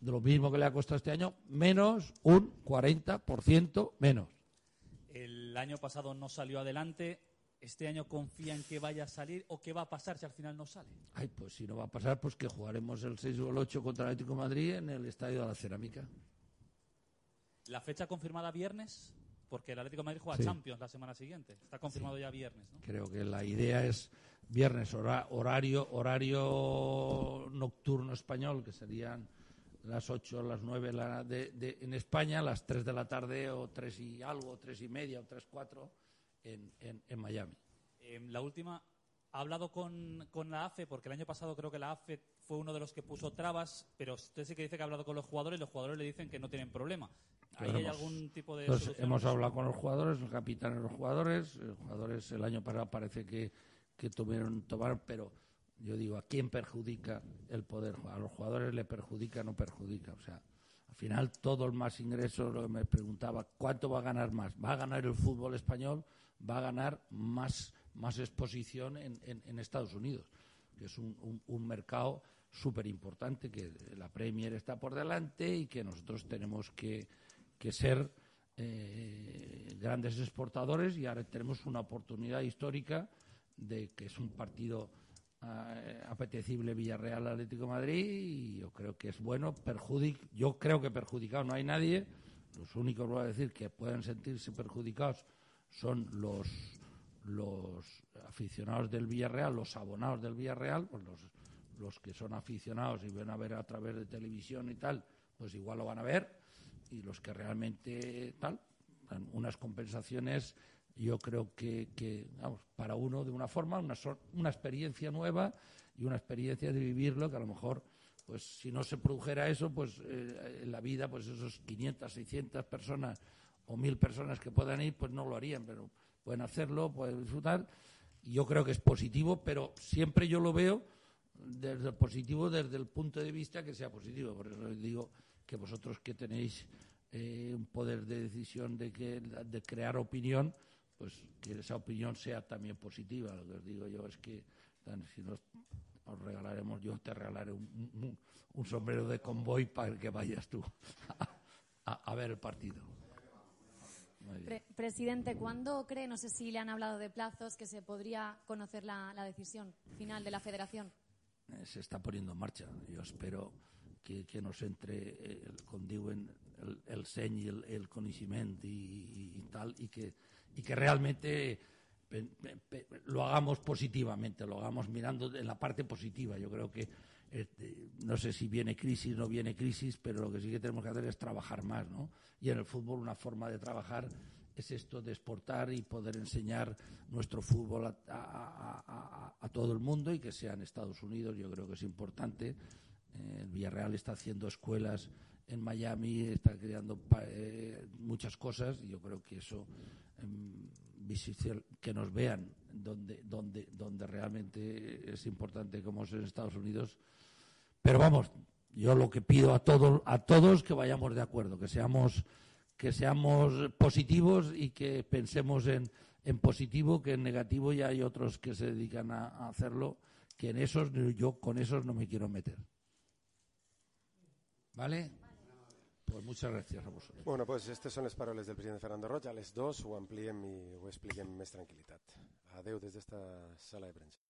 de lo mismo que le ha costado este año, menos un cuarenta por ciento menos.
El año pasado no salió adelante. ¿Este año confía en que vaya a salir o qué va a pasar si al final no sale?
Ay, pues si no va a pasar, pues que jugaremos el seis o el ocho contra el Atlético de Madrid en el Estadio de la Cerámica.
¿La fecha confirmada viernes? Porque el Atlético de Madrid juega
sí.
Champions la semana siguiente. Está confirmado sí. ya viernes, ¿no?
Creo que la idea es viernes, hora, horario, horario nocturno español, que serían las ocho, las nueve la de, de, en España, las tres de la tarde o tres y algo, tres y media o tres, cuatro en, en, en Miami.
Eh, la última, ¿ha hablado con, con la A F E? Porque el año pasado creo que la A F E fue uno de los que puso trabas, pero usted sí que dice que ha hablado con los jugadores y los jugadores le dicen que no tienen problema. ¿Ahí hay algún tipo de
Entonces,
solución?
Hemos hablado con los jugadores, el capitán de los jugadores, los jugadores el año pasado parece que, que tuvieron tomar, pero yo digo, ¿a quién perjudica el poder? ¿A los jugadores le perjudica o no perjudica? O sea, al final todo el más ingreso, lo que me preguntaba, ¿cuánto va a ganar más? ¿Va a ganar el fútbol español? Va a ganar más, más exposición en, en, en Estados Unidos, que es un, un, un mercado súper importante, que la Premier está por delante y que nosotros tenemos que, que ser eh, grandes exportadores, y ahora tenemos una oportunidad histórica de que es un partido eh, apetecible Villarreal Atlético de Madrid, y yo creo que es bueno. Perjudic, yo creo que perjudicado no hay nadie. Los únicos, voy a decir, que pueden sentirse perjudicados son los los aficionados del Villarreal, los abonados del Villarreal, pues los, los que son aficionados y ven a ver a través de televisión y tal, pues igual lo van a ver, y los que realmente tal, unas compensaciones, yo creo que, que vamos, para uno de una forma, una, una experiencia nueva y una experiencia de vivirlo, que a lo mejor, pues si no se produjera eso, pues eh, en la vida, pues esos quinientas, seiscientas personas o mil personas que puedan ir, pues no lo harían, pero pueden hacerlo, pueden disfrutar, y yo creo que es positivo, pero siempre yo lo veo desde el positivo, desde el punto de vista que sea positivo. Por eso les digo que vosotros que tenéis eh, un poder de decisión de, que, de crear opinión, pues que esa opinión sea también positiva. Lo que os digo yo es que si nos os regalaremos, yo te regalaré un, un, un sombrero de convoy para que vayas tú a, a, a ver el partido.
Pre Presidente, ¿cuándo cree, no sé si le han hablado de plazos, que se podría conocer la, la decisión final de la Federación?
Se está poniendo en marcha. Yo espero que, que nos entre el, con diuen, el, el seny i el, el coneixement y, y tal, y que, y que realmente pe, pe, pe, lo hagamos positivamente, lo hagamos mirando en la parte positiva. Yo creo que eh, no sé si viene crisis o no viene crisis, pero lo que sí que tenemos que hacer es trabajar más, ¿no? Y en el fútbol una forma de trabajar es esto de exportar y poder enseñar nuestro fútbol a, a, a, a todo el mundo, y que sea en Estados Unidos. Yo creo que es importante. Eh, el Villarreal está haciendo escuelas en Miami, está creando eh, muchas cosas, y yo creo que eso, eh, que nos vean donde, donde, donde realmente es importante como es en Estados Unidos. Pero vamos, yo lo que pido a todos, a todos que vayamos de acuerdo, que seamos, que seamos positivos y que pensemos en, en positivo, que en negativo ya hay otros que se dedican a, a hacerlo, que en esos yo con esos no me quiero meter. ¿Vale? Pues muchas gràcies a vosaltres.
Bueno, pues aquestes són les paraules del president Fernando Roig. A les dos ho ampliem i ho expliquem amb més tranquil·litat. Adeu des d'esta sala de premsa.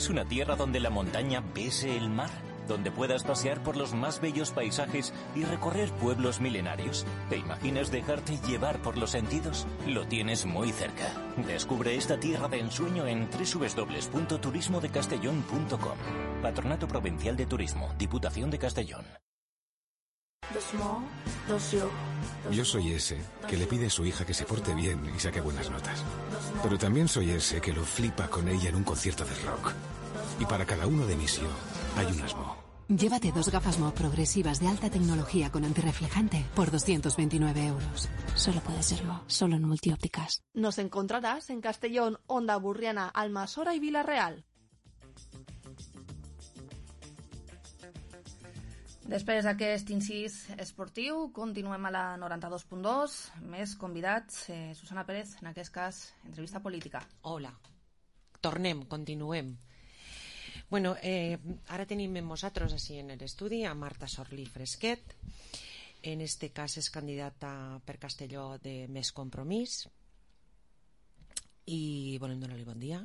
Una tierra donde la montaña bese el mar, donde puedas pasear por los más bellos paisajes y recorrer pueblos milenarios. ¿Te imaginas dejarte llevar por los sentidos? Lo tienes muy cerca. Descubre esta tierra de ensueño en doble u doble u doble u punto turismo de castellón punto com. Patronato Provincial de Turismo, Diputación de Castellón.
Yo soy ese que le pide a su hija que se porte bien y saque buenas notas. Pero también soy ese que lo flipa con ella en un concierto de rock. Y para cada uno de mis yo hay unas Mo.
Llévate dos gafas Mo progresivas de alta tecnología con antirreflejante por doscientos veintinueve euros. Solo puede ser Mo, solo en Multiópticas.
Nos encontrarás en Castellón, Onda Burriana, Almassora y Vila-real. Després d'aquest incís esportiu, continuem a la noranta-dos punt dos. Més convidats. Eh, Susana Pérez, en aquest cas, entrevista política.
Hola. Tornem, continuem. Bueno, eh, ara tenim amb nosaltres així en l'estudi a Marta Sorlí Fresquet. En este cas és candidata per Castelló de Més Compromís. I volem donar-li bon dia.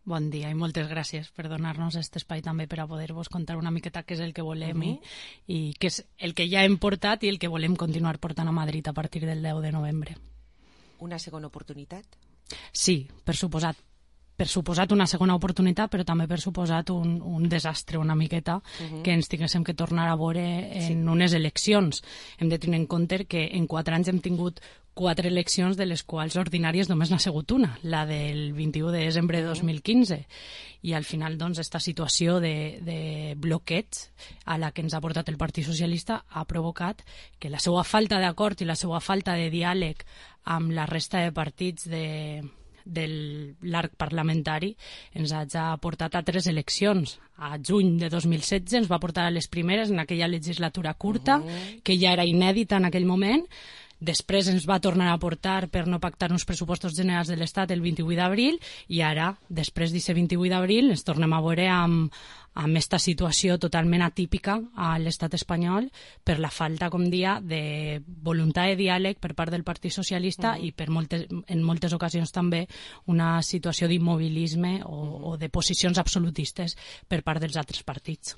Bon dia i moltes gràcies per donar-nos aquest espai també per a poder-vos contar una miqueta què és el que volem uh-huh. i, i què és el que ja hem portat i el que volem continuar portant a Madrid a partir del deu de novembre.
Una segona oportunitat?
Sí, per suposat. Per suposat una segona oportunitat, però també per suposat un, un desastre una miqueta uh-huh. que ens tinguéssim que tornar a veure en sí. unes eleccions. Hem de tenir en compte que en quatre anys hem tingut quatre eleccions, de les quals ordinàries només n'ha sigut una, la del vint-i-u de desembre de dos mil quinze. I al final, doncs, aquesta situació de, de bloqueig a la que ens ha portat el Partit Socialista ha provocat que la seva falta d'acord i la seva falta de diàleg amb la resta de partits de, del l'arc parlamentari ens ha portat a tres eleccions. A juny de dos mil setze ens va portar a les primeres en aquella legislatura curta, uh-huh. que ja era inèdita en aquell moment. Després ens va tornar a portar per no pactar uns pressupostos generals de l'Estat el vint-i-vuit d'abril i ara, després d'aquest vint-i-vuit d'abril, ens tornem a veure amb, amb aquesta situació totalment atípica a l'estat espanyol per la falta, com dia, de voluntat de diàleg per part del Partit Socialista uh-huh. i per moltes, en moltes ocasions també una situació d'immobilisme o, uh-huh. o de posicions absolutistes per part dels altres partits.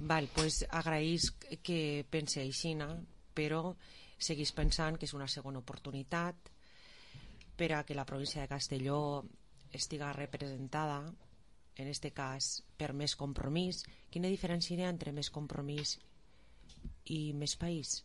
Val, pues agraïs que pense així, però seguís pensant que és una segona oportunitat per a que la província de Castelló estiga representada, en este cas, per Més Compromís. Quina diferència hi ha entre Més Compromís i Més País?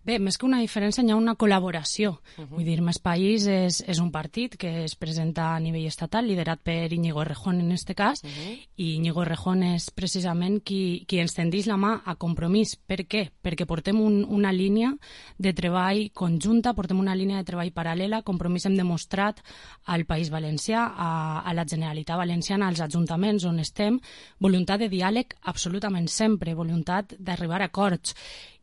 Bé, més que una diferència, hi ha una col·laboració. Uh-huh. Vull dir, Més País és, és un partit que es presenta a nivell estatal, liderat per Íñigo Errejón en este cas, uh-huh. i Íñigo Errejón és precisament qui, qui ens tendeix la mà a Compromís. Per què? Perquè portem un, una línia de treball conjunta, portem una línia de treball paral·lela. Compromís hem demostrat al País Valencià, a, a la Generalitat Valenciana, als ajuntaments on estem, voluntat de diàleg absolutament sempre, voluntat d'arribar a acords,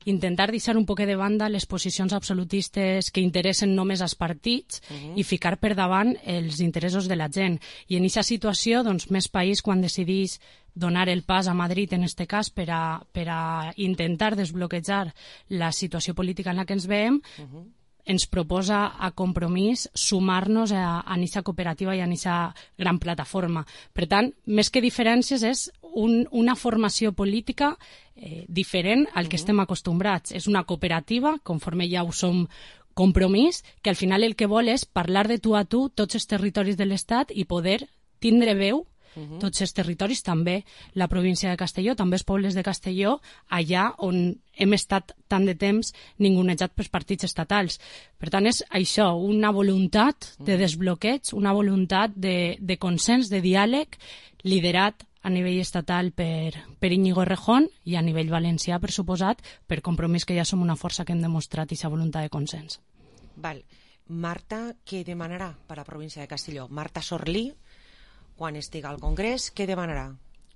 intentar deixar un poc de banda les posicions absolutistes que interessen només als partits uh-huh. i ficar per davant els interessos de la gent. I en aquesta situació, doncs, Més País, quan decidís donar el pas a Madrid, en aquest cas, per a, per a intentar desbloquejar la situació política en la que ens veiem, uh-huh. ens proposa a Compromís sumar-nos a aquesta cooperativa i a aquesta gran plataforma. Per tant, més que diferències, és un, una formació política eh, diferent al que uh-huh. estem acostumbrats. És una cooperativa, conforme ja ho som Compromís, que al final el que vol és parlar de tu a tu tots els territoris de l'Estat i poder tindre veu tots els territoris, també la província de Castelló, també els pobles de Castelló, allà on hem estat tant de temps ningunejat pels partits estatals. Per tant, és això, una voluntat de desbloqueig, una voluntat de, de consens, de diàleg, liderat a nivell estatal per, per Íñigo Errejón i a nivell valencià, per suposat, per Compromís, que ja som una força que hem demostrat aquesta voluntat de consens.
Val. Marta, què demanarà per a la província de Castelló? Marta Sorlí, quan estigui al Congrés, què demanarà?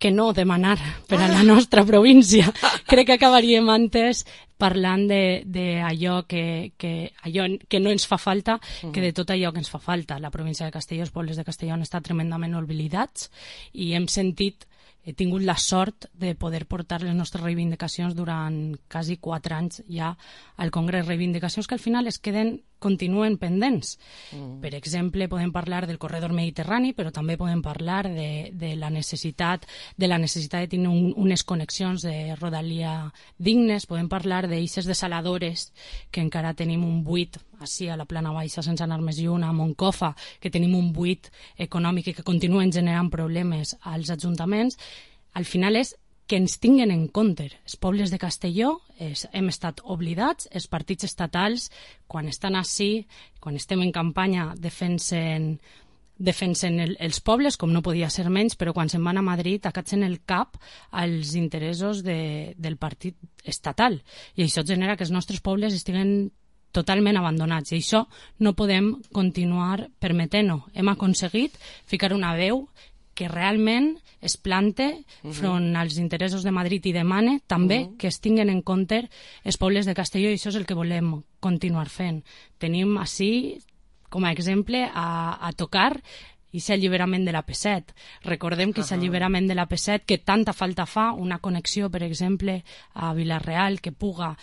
Que no demanar per a la nostra província. Crec que acabaríem antes parlant d'allò que, que, allò que no ens fa falta que de tot allò que ens fa falta. La província de Castelló, els pobles de Castelló han estat tremendament oblidats i hem sentit, he tingut la sort de poder portar les nostres reivindicacions durant quasi quatre anys ja al Congrés. Reivindicacions que al final es queden, continuen pendents. Mm. Per exemple, podem parlar del corredor mediterrani, però també podem parlar de, de la necessitat de la necessitat de tenir un, unes connexions de rodalia dignes, podem parlar d'eixes desaladores, que encara tenim un buit així a la plana baixa sense anar més lluny, a Moncofa, que tenim un buit econòmic i que continuen generant problemes als ajuntaments. Al final és que ens tinguen en compte. Els pobles de Castelló és, hem estat oblidats, els partits estatals, quan estan així, quan estem en campanya, defensen, defensen el, els pobles, com no podia ser menys, però quan se'n van a Madrid acatzen el cap als interessos de, del partit estatal. I això genera que els nostres pobles estiguen totalment abandonats, i això no podem continuar permetent-ho. Hem aconseguit ficar una veu que realment es plante front als interessos de Madrid i demane també uh -huh. que es tinguen en compte els pobles de Castelló, i això és el que volem continuar fent. Tenim així, com a exemple, a, a tocar i aquest alliberament de l'A P set. Recordem que aquest uh -huh. alliberament de l'A P set, que tanta falta fa, una connexió, per exemple, a Vila-real, que puga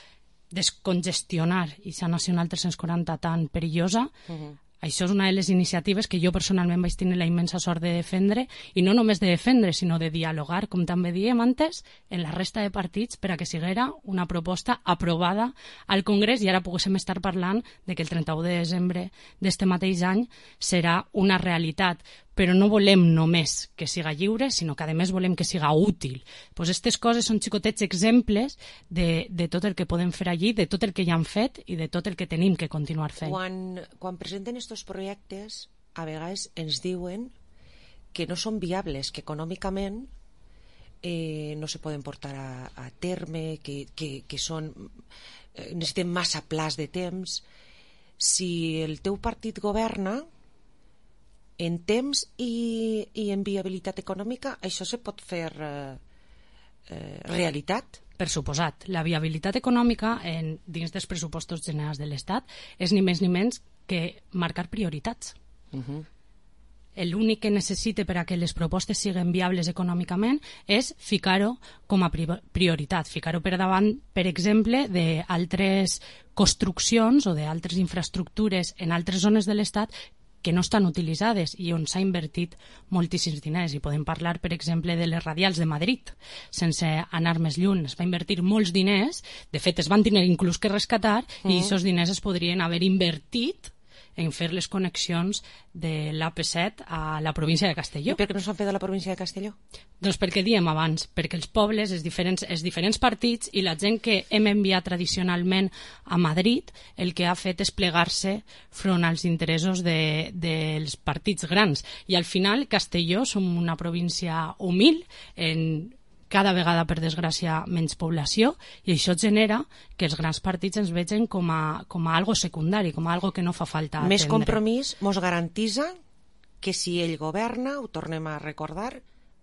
descongestionar aquesta Nacional tres-cents quaranta tan perillosa. Uh -huh. Això és una de les iniciatives que jo personalment vaig tenir la immensa sort de defendre, i no només de defendre, sinó de dialogar, com també diem antes, en la resta de partits per a que siguera una proposta aprovada al Congrés, i ara poguéssim estar parlant de que el trenta-u de desembre d'este mateix any serà una realitat. Però no volem només que siga lliure, sinó que a més volem que siga útil. Pues aquestes coses són xicotets exemples de, de tot el que podem fer allí, de tot el que ja han fet i de tot el que tenim que continuar fent.
Quan, quan presenten aquests projectes, a vegades ens diuen que no són viables, que econòmicament eh, no se poden portar a, a terme, que, que, que són, eh, necessiten massa plaç de temps. Si el teu partit governa, en temps i, i en viabilitat econòmica, això se pot fer eh, eh, realitat?
Per suposat. La viabilitat econòmica en, dins dels pressupostos generals de l'Estat és ni més ni menys que marcar prioritats. Uh-huh. L'únic que necessita per a que les propostes siguin viables econòmicament és ficar-ho com a prioritat, ficar-ho per davant, per exemple, d'altres construccions o d'altres infraestructures en altres zones de l'Estat que no estan utilitzades i on s'ha invertit moltíssims diners. I podem parlar, per exemple, de les radials de Madrid, sense anar més lluny. Es va invertir molts diners, de fet es van tenir inclús que rescatar, mm. i aquests diners es podrien haver invertit en fer les connexions de l'A P set a la província de Castelló.
I per què no s'han fet a la província de Castelló?
Doncs perquè diem abans, perquè els pobles, els diferents, els diferents partits i la gent que hem enviat tradicionalment a Madrid, el que ha fet és plegar-se front als interessos de, dels partits grans. I al final Castelló som una província humil, en cada vegada, per desgràcia, menys població, i això genera que els grans partits ens vegen com a, com a algo secundari, com a algo que no fa falta atendre.
Més compromís mos garantitza que si ell governa, ho tornem a recordar,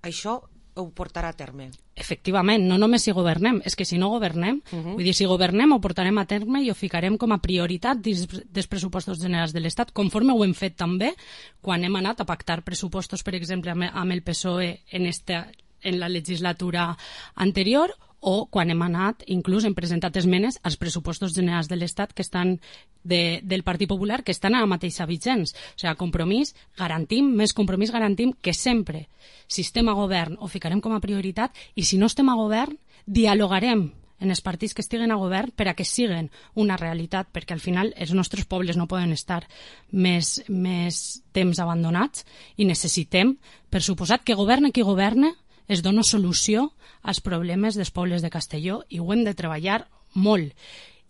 això ho portarà a terme.
Efectivament, no només si governem, és que si no governem, uh-huh. vull dir, si governem ho portarem a terme i ho ficarem com a prioritat dins dels pressupostos generals de l'Estat, conforme ho hem fet també quan hem anat a pactar pressupostos, per exemple, amb el P S O E en esta en la legislatura anterior, o quan hem anat, inclús hem presentat esmenes als pressupostos generals de l'Estat que estan de, del Partit Popular, que estan a la mateixa vigents. O sigui, compromís, garantim, més compromís garantim que sempre, si estem a govern, ho ficarem com a prioritat, i si no estem a govern, dialogarem en els partits que estiguen a govern per a que siguen una realitat, perquè al final els nostres pobles no poden estar més, més temps abandonats i necessitem, per suposat, que governe qui governe, es dona solució als problemes dels pobles de Castelló i ho hem de treballar molt.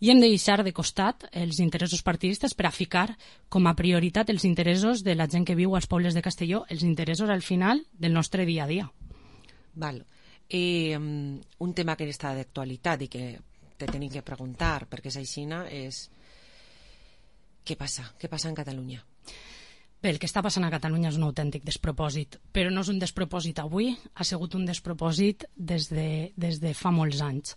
I hem de deixar de costat els interessos partidistes per a ficar com a prioritat els interessos de la gent que viu als pobles de Castelló, els interessos al final del nostre dia a dia.
Val. Eh, un tema que està d'actualitat i que te tenim que preguntar, perquè és aixina, és què passa? Què passa en Catalunya?
Bé, el que està passant a Catalunya és un autèntic despropòsit, però no és un despropòsit avui, ha sigut un despropòsit des de, des de fa molts anys.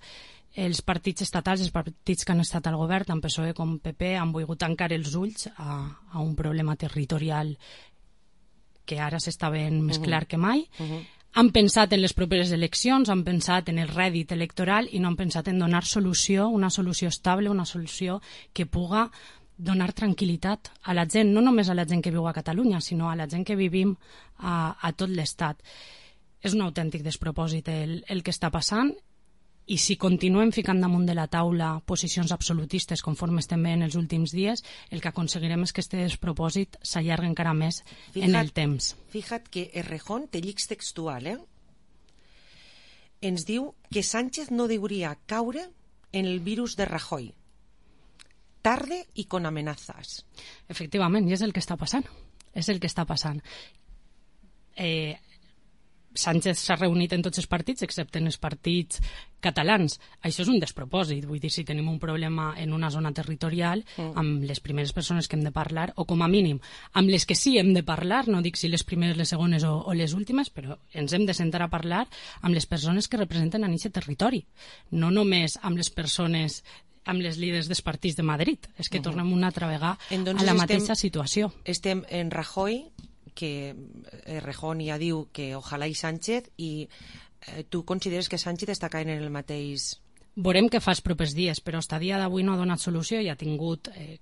Els partits estatals, els partits que han estat al govern, tant P S O E com P P, han volgut tancar els ulls a, a un problema territorial que ara s'està veient més
Uh-huh.
clar que mai.
Uh-huh.
Han pensat en les properes eleccions, han pensat en el rèdit electoral i no han pensat en donar solució, una solució estable, una solució que puga donar tranquil·litat a la gent, no només a la gent que viu a Catalunya, sinó a la gent que vivim a, a tot l'Estat. És un autèntic despropòsit el, el que està passant. I si continuem ficant damunt de la taula posicions absolutistes conforme estem veient els últims dies, el que aconseguirem és que aquest despropòsit s'allargui encara més
Fija't,
en el temps.
Fija't que Errejón té llics textual, eh? Ens diu que Sánchez no hauria caure en el virus de Rajoy. Tarde y con amenazas.
Efectivament, i és el que està passant. És el que està passant. Eh... Sánchez s'ha reunit en tots els partits, excepte en els partits catalans. Això és un despropòsit. Vull dir, si tenim un problema en una zona territorial, mm. amb les primeres persones que hem de parlar, o com a mínim, amb les que sí hem de parlar, no dic si les primeres, les segones o, o les últimes, però ens hem de sentar a parlar amb les persones que representen a aquest territori. No només amb les persones amb les líders dels partits de Madrid. És que uh-huh. tornem una altra vegada a la mateixa
estem,
situació.
Estem en Rajoy, que Errejón ja diu que ojalà i Sánchez, i eh, tu consideres que Sánchez està caient en el mateix...
Veurem què fa els propers dies, però fins a dia d'avui no ha donat solució i ha tingut eh,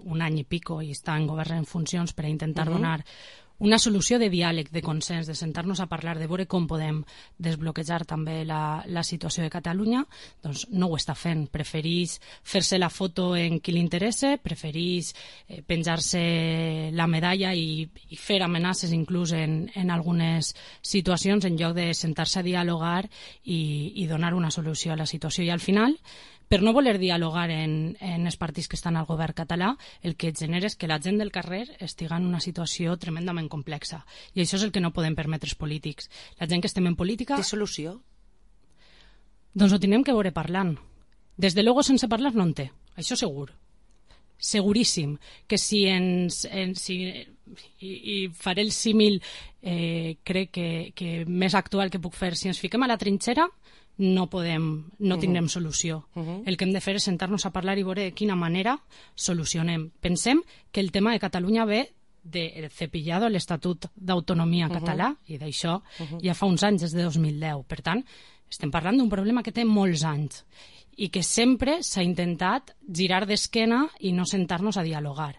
un any i pico i està en govern en funcions per a intentar uh-huh. donar una solució de diàleg, de consens, de sentar-nos a parlar, de veure com podem desbloquejar també la, la situació de Catalunya. Doncs no ho està fent. Preferís fer-se la foto en qui li interessa, preferís eh, penjar-se la medalla i, i fer amenaces inclús en, en algunes situacions en lloc de sentar-se a dialogar i, i donar una solució a la situació. I al final, per no voler dialogar en, en els partits que estan al govern català, el que genera és que la gent del carrer estiga en una situació tremendament complexa. I això és el que no podem permetre els polítics. La gent que estem en política...
Té solució?
Doncs ho tenim que veure parlant. Des de luego, sense parlar no en té. Això segur. Seguríssim. Que si ens... En, si, i, i faré el símil, eh, crec que, que més actual que puc fer. Si ens fiquem a la trinxera, no podem, no tindrem solució. Uh-huh. El que hem de fer és sentar-nos a parlar i veure de quina manera solucionem. Pensem que el tema de Catalunya ve del cepillado a l'Estatut d'Autonomia uh-huh. català, i d'això uh-huh. ja fa uns anys, des de dos mil deu. Per tant, estem parlant d'un problema que té molts anys i que sempre s'ha intentat girar d'esquena i no sentar-nos a dialogar.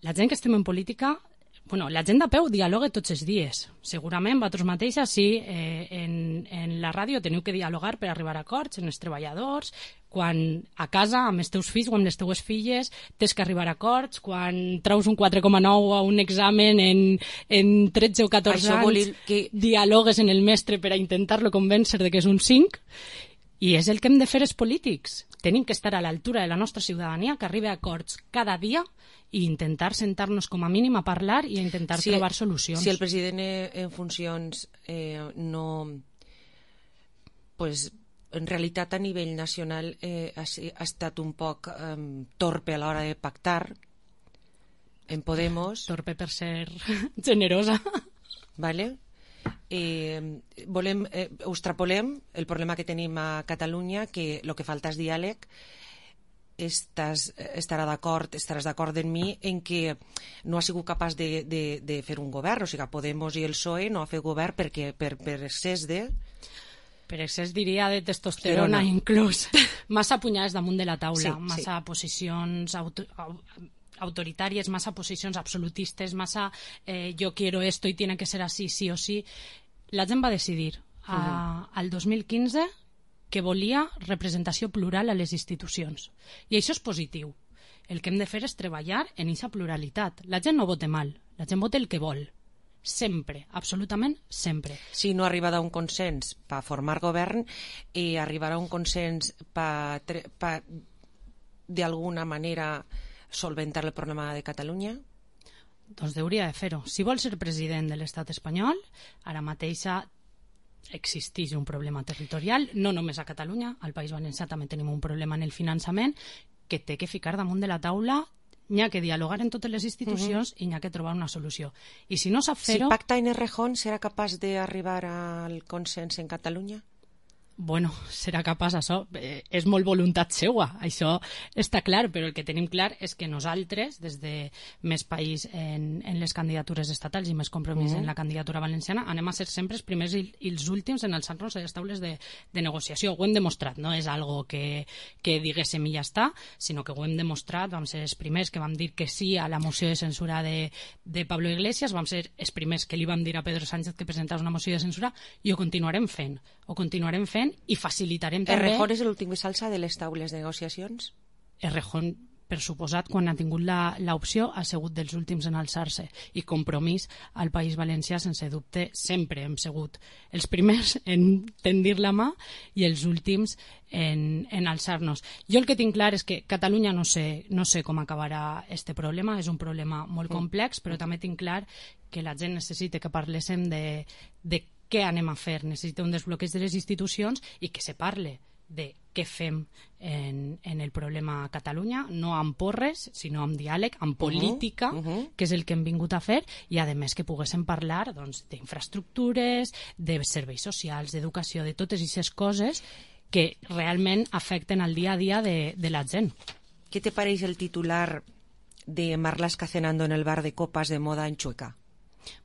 La gent que estem en política... Bueno, la gent de peu dialoga tots els dies. Segurament, vosaltres mateixes, sí, eh, en, en la ràdio teniu que dialogar per arribar a acords en els treballadors, quan a casa, amb els teus fills o amb les teues filles, tens que arribar a acords, quan traus un quatre coma nou a un examen en, en tretze o catorze
Això
anys,
que...
dialogues en el mestre per a intentar-lo convèncer de que és un cinc, i és el que hem de fer els polítics. Tenim que estar a l'altura de la nostra ciutadania, que arribi a acords cada dia i intentar sentar-nos com a mínim a parlar i a intentar
si,
trobar solucions.
Si el president en funcions eh, no... Pues, en realitat a nivell nacional eh, ha, ha estat un poc eh, torpe a l'hora de pactar en Podemos.
Torpe per ser generosa.
Vale? Eh, volem, eh, ho extrapolem el problema que tenim a Catalunya, que el que falta és diàleg. Estàs, estarà d'acord, estaràs d'acord amb mi en que no ha sigut capaç de, de, de fer un govern, o sigui, Podemos i el P S O E no ha fet govern perquè per, per excés de...
Per excés diria de testosterona, no. Inclús. Massa punyades damunt de la taula, sí, massa sí. posicions auto, autoritàries, massa posicions absolutistes, massa eh, yo quiero esto y tiene que ser así, sí o sí. La gent va decidir a, uh-huh. al dos mil quinze que volia representació plural a les institucions. I això és positiu. El que hem de fer és treballar en aquesta pluralitat. La gent no vota mal, la gent vota el que vol. Sempre, absolutament sempre.
Si no arriba a un consens per formar govern i arribarà a un consens per, per d'alguna manera solventar el problema de Catalunya?
Doncs hauria de fer-ho. Si vol ser president de l'estat espanyol, ara mateix existeix un problema territorial, no només a Catalunya, al País Valencià també tenim un problema en el finançament que té que ficar damunt de la taula. N'hi ha que dialogar en totes les institucions uh-huh. i n'hi ha que trobar una solució. I si no sap fer-ho...
Si pacta en Errejón, serà capaç d'arribar al consens en Catalunya?
Bueno, serà capaç, això eh, és molt voluntat seua, això està clar, però el que tenim clar és que nosaltres, des de Més País en, en les candidatures estatals i Més Compromís uh-huh. en la candidatura valenciana, anem a ser sempre els primers i, i els últims en alçar-nos a les taules de, de negociació. Ho hem demostrat, no és algo que, que diguéssim i ja està, sinó que ho hem demostrat, vam ser els primers que vam dir que sí a la moció de censura de, de Pablo Iglesias, vam ser els primers que li vam dir a Pedro Sánchez que presentava una moció de censura i ho continuarem fent, ho continuarem fent i facilitarem també...
Errejón és l'últim que s'alça de les taules de negociacions?
Errejón, per suposat, quan ha tingut l'opció, ha sigut dels últims en alçar-se. I Compromís al País Valencià, sense dubte, sempre hem sigut els primers en tendir la mà i els últims en, en alçar-nos. Jo el que tinc clar és que Catalunya no sé, no sé com acabarà este problema, és un problema molt complex, però també tinc clar que la gent necessita que parléssim de, de què anem a fer, necessita un desbloqueig de les institucions i que se parle de què fem en, en el problema a Catalunya, no amb porres, sinó amb diàleg, amb política, uh -huh, uh -huh. que és el que hem vingut a fer, i a més que poguéssim parlar doncs, d'infraestructures, de serveis socials, d'educació, de totes aquestes coses que realment afecten el dia a dia de, de la gent.
¿Qué te parece el titular de Marlaska cenando en el bar de copas de moda en Chueca?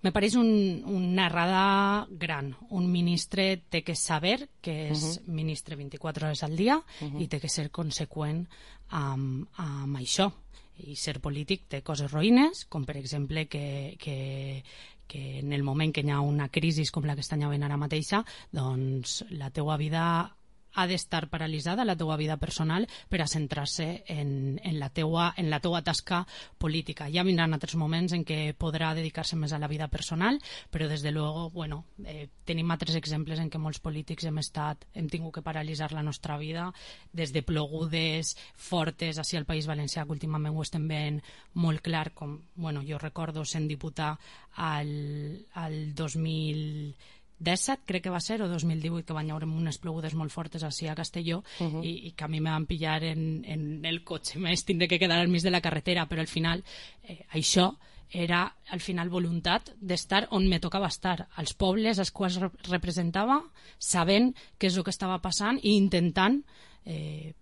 Me pareix un, una errada gran. Un ministre té que saber que és uh-huh. ministre vint-i-quatre hores al dia uh-huh. i té que ser conseqüent amb, amb això. I ser polític té coses roïnes, com per exemple que, que, que en el moment que hi ha una crisi com la que està havent ara mateixa, doncs la teua vida ha d'estar paralitzada, la teua vida personal, per a centrar-se en, en, la teua, en la teua tasca política. Ja vindran altres moments en què podrà dedicar-se més a la vida personal, però des de luego, bueno, eh, tenim altres exemples en què molts polítics hem estat, hem tingut que paralitzar la nostra vida, des de plogudes fortes així al País Valencià, que últimament ho estem veient molt clar, com, bueno, jo recordo sent diputat al, al dos mil disset, crec que va ser, o dos mil divuit, que van haver unes plogudes molt fortes així a Castelló, uh-huh. i, i que a mi me van pillar en, en el cotxe, més tindré que quedar al mig de la carretera, però al final eh, això era al final voluntat d'estar on me tocava estar, als pobles als quals representava, sabent què és el que estava passant i intentant eh,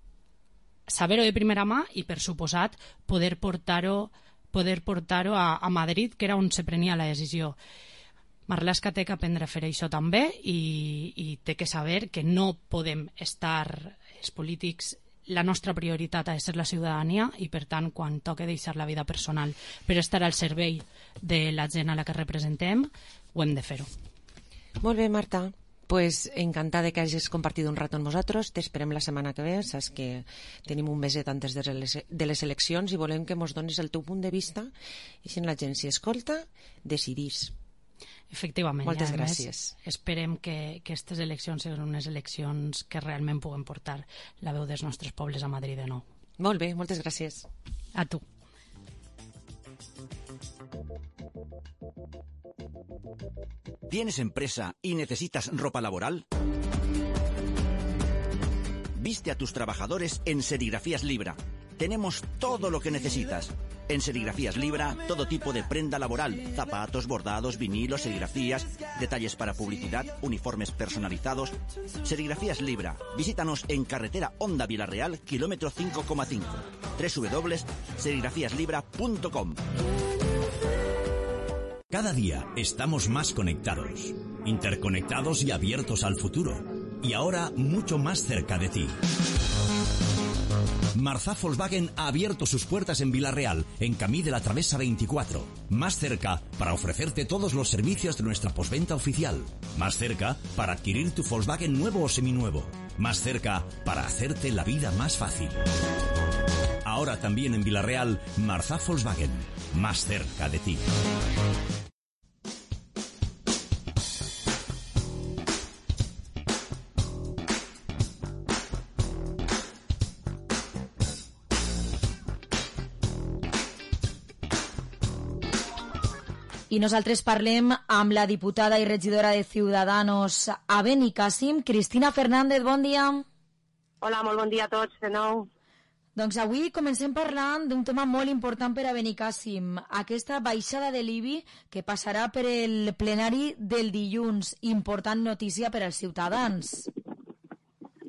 saber-ho de primera mà i, per suposat, poder portar-ho poder portar-ho a, a Madrid, que era on se prenia la decisió. Marlaska té que aprendre a fer això també i, i té que saber que no podem estar, els polítics, la nostra prioritat ha de ser la ciutadania i, per tant, quan toque deixar la vida personal per estar al servei de la gent a la que representem, ho hem de fer-ho.
Molt bé, Marta. Pues encantada que hagis compartit un rato amb nosaltres. T'esperem la setmana que ve. Saps que tenim un meset antes de les, de les eleccions i volem que mos donis el teu punt de vista i si la gent s'hi escolta, decidís.
Efectivament.
Moltes
ja,
gràcies.
Més, esperem que aquestes eleccions siguin unes eleccions que realment puguen portar la veu dels nostres pobles a Madrid de nou.
Molt bé, moltes gràcies.
A tu.
¿Tienes empresa y necesitas ropa laboral? Viste a tus trabajadores en Serigrafías Libra. Tenemos todo lo que necesitas. En Serigrafías Libra, todo tipo de prenda laboral, zapatos, bordados, vinilos, serigrafías, detalles para publicidad, uniformes personalizados. Serigrafías Libra. Visítanos en carretera Honda Vilarreal, kilómetro cinco coma cinco. doble u doble u doble u punto serigrafías libra punto com. Cada día estamos más conectados, interconectados y abiertos al futuro. Y ahora mucho más cerca de ti. Marzá Volkswagen ha abierto sus puertas en Vilarreal, en Camí de la Travesa veinticuatro. Más cerca para ofrecerte todos los servicios de nuestra postventa oficial. Más cerca para adquirir tu Volkswagen nuevo o seminuevo. Más cerca para hacerte la vida más fácil. Ahora también en Vila-real, Marzà Volkswagen. Más cerca de ti.
I nosaltres parlem amb la diputada i regidora de Ciudadanos a Benicàssim, Cristina Fernández, bon dia.
Hola, molt bon dia a tots, de nou.
Doncs avui comencem parlant d'un tema molt important per a Benicàssim, aquesta baixada de l'I B I que passarà per el plenari del dilluns. Important notícia per als ciutadans.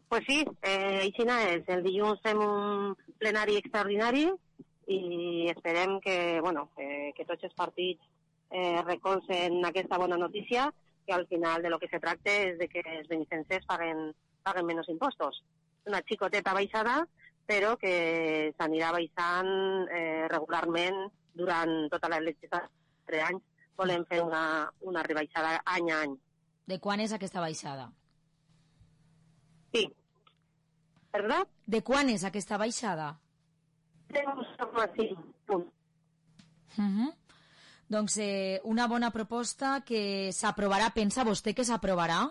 Pues sí, eh, així és. El dilluns fem un plenari extraordinari i esperem que, bueno, eh, que tots els partits eh, recolzen aquesta bona notícia, que al final de lo que se tracta és de que els benicenses paguen, paguen menys impostos. Una xicoteta baixada, però que s'anirà baixant eh, regularment durant tota la legislatura. Tres anys volem fer una, una rebaixada any a any.
De quan és aquesta baixada?
Sí. Perdó?
De quan és aquesta baixada?
De un coma cinc punts.
Uh-huh. Doncs eh, una bona proposta que s'aprovarà. Pensa vostè que s'aprovarà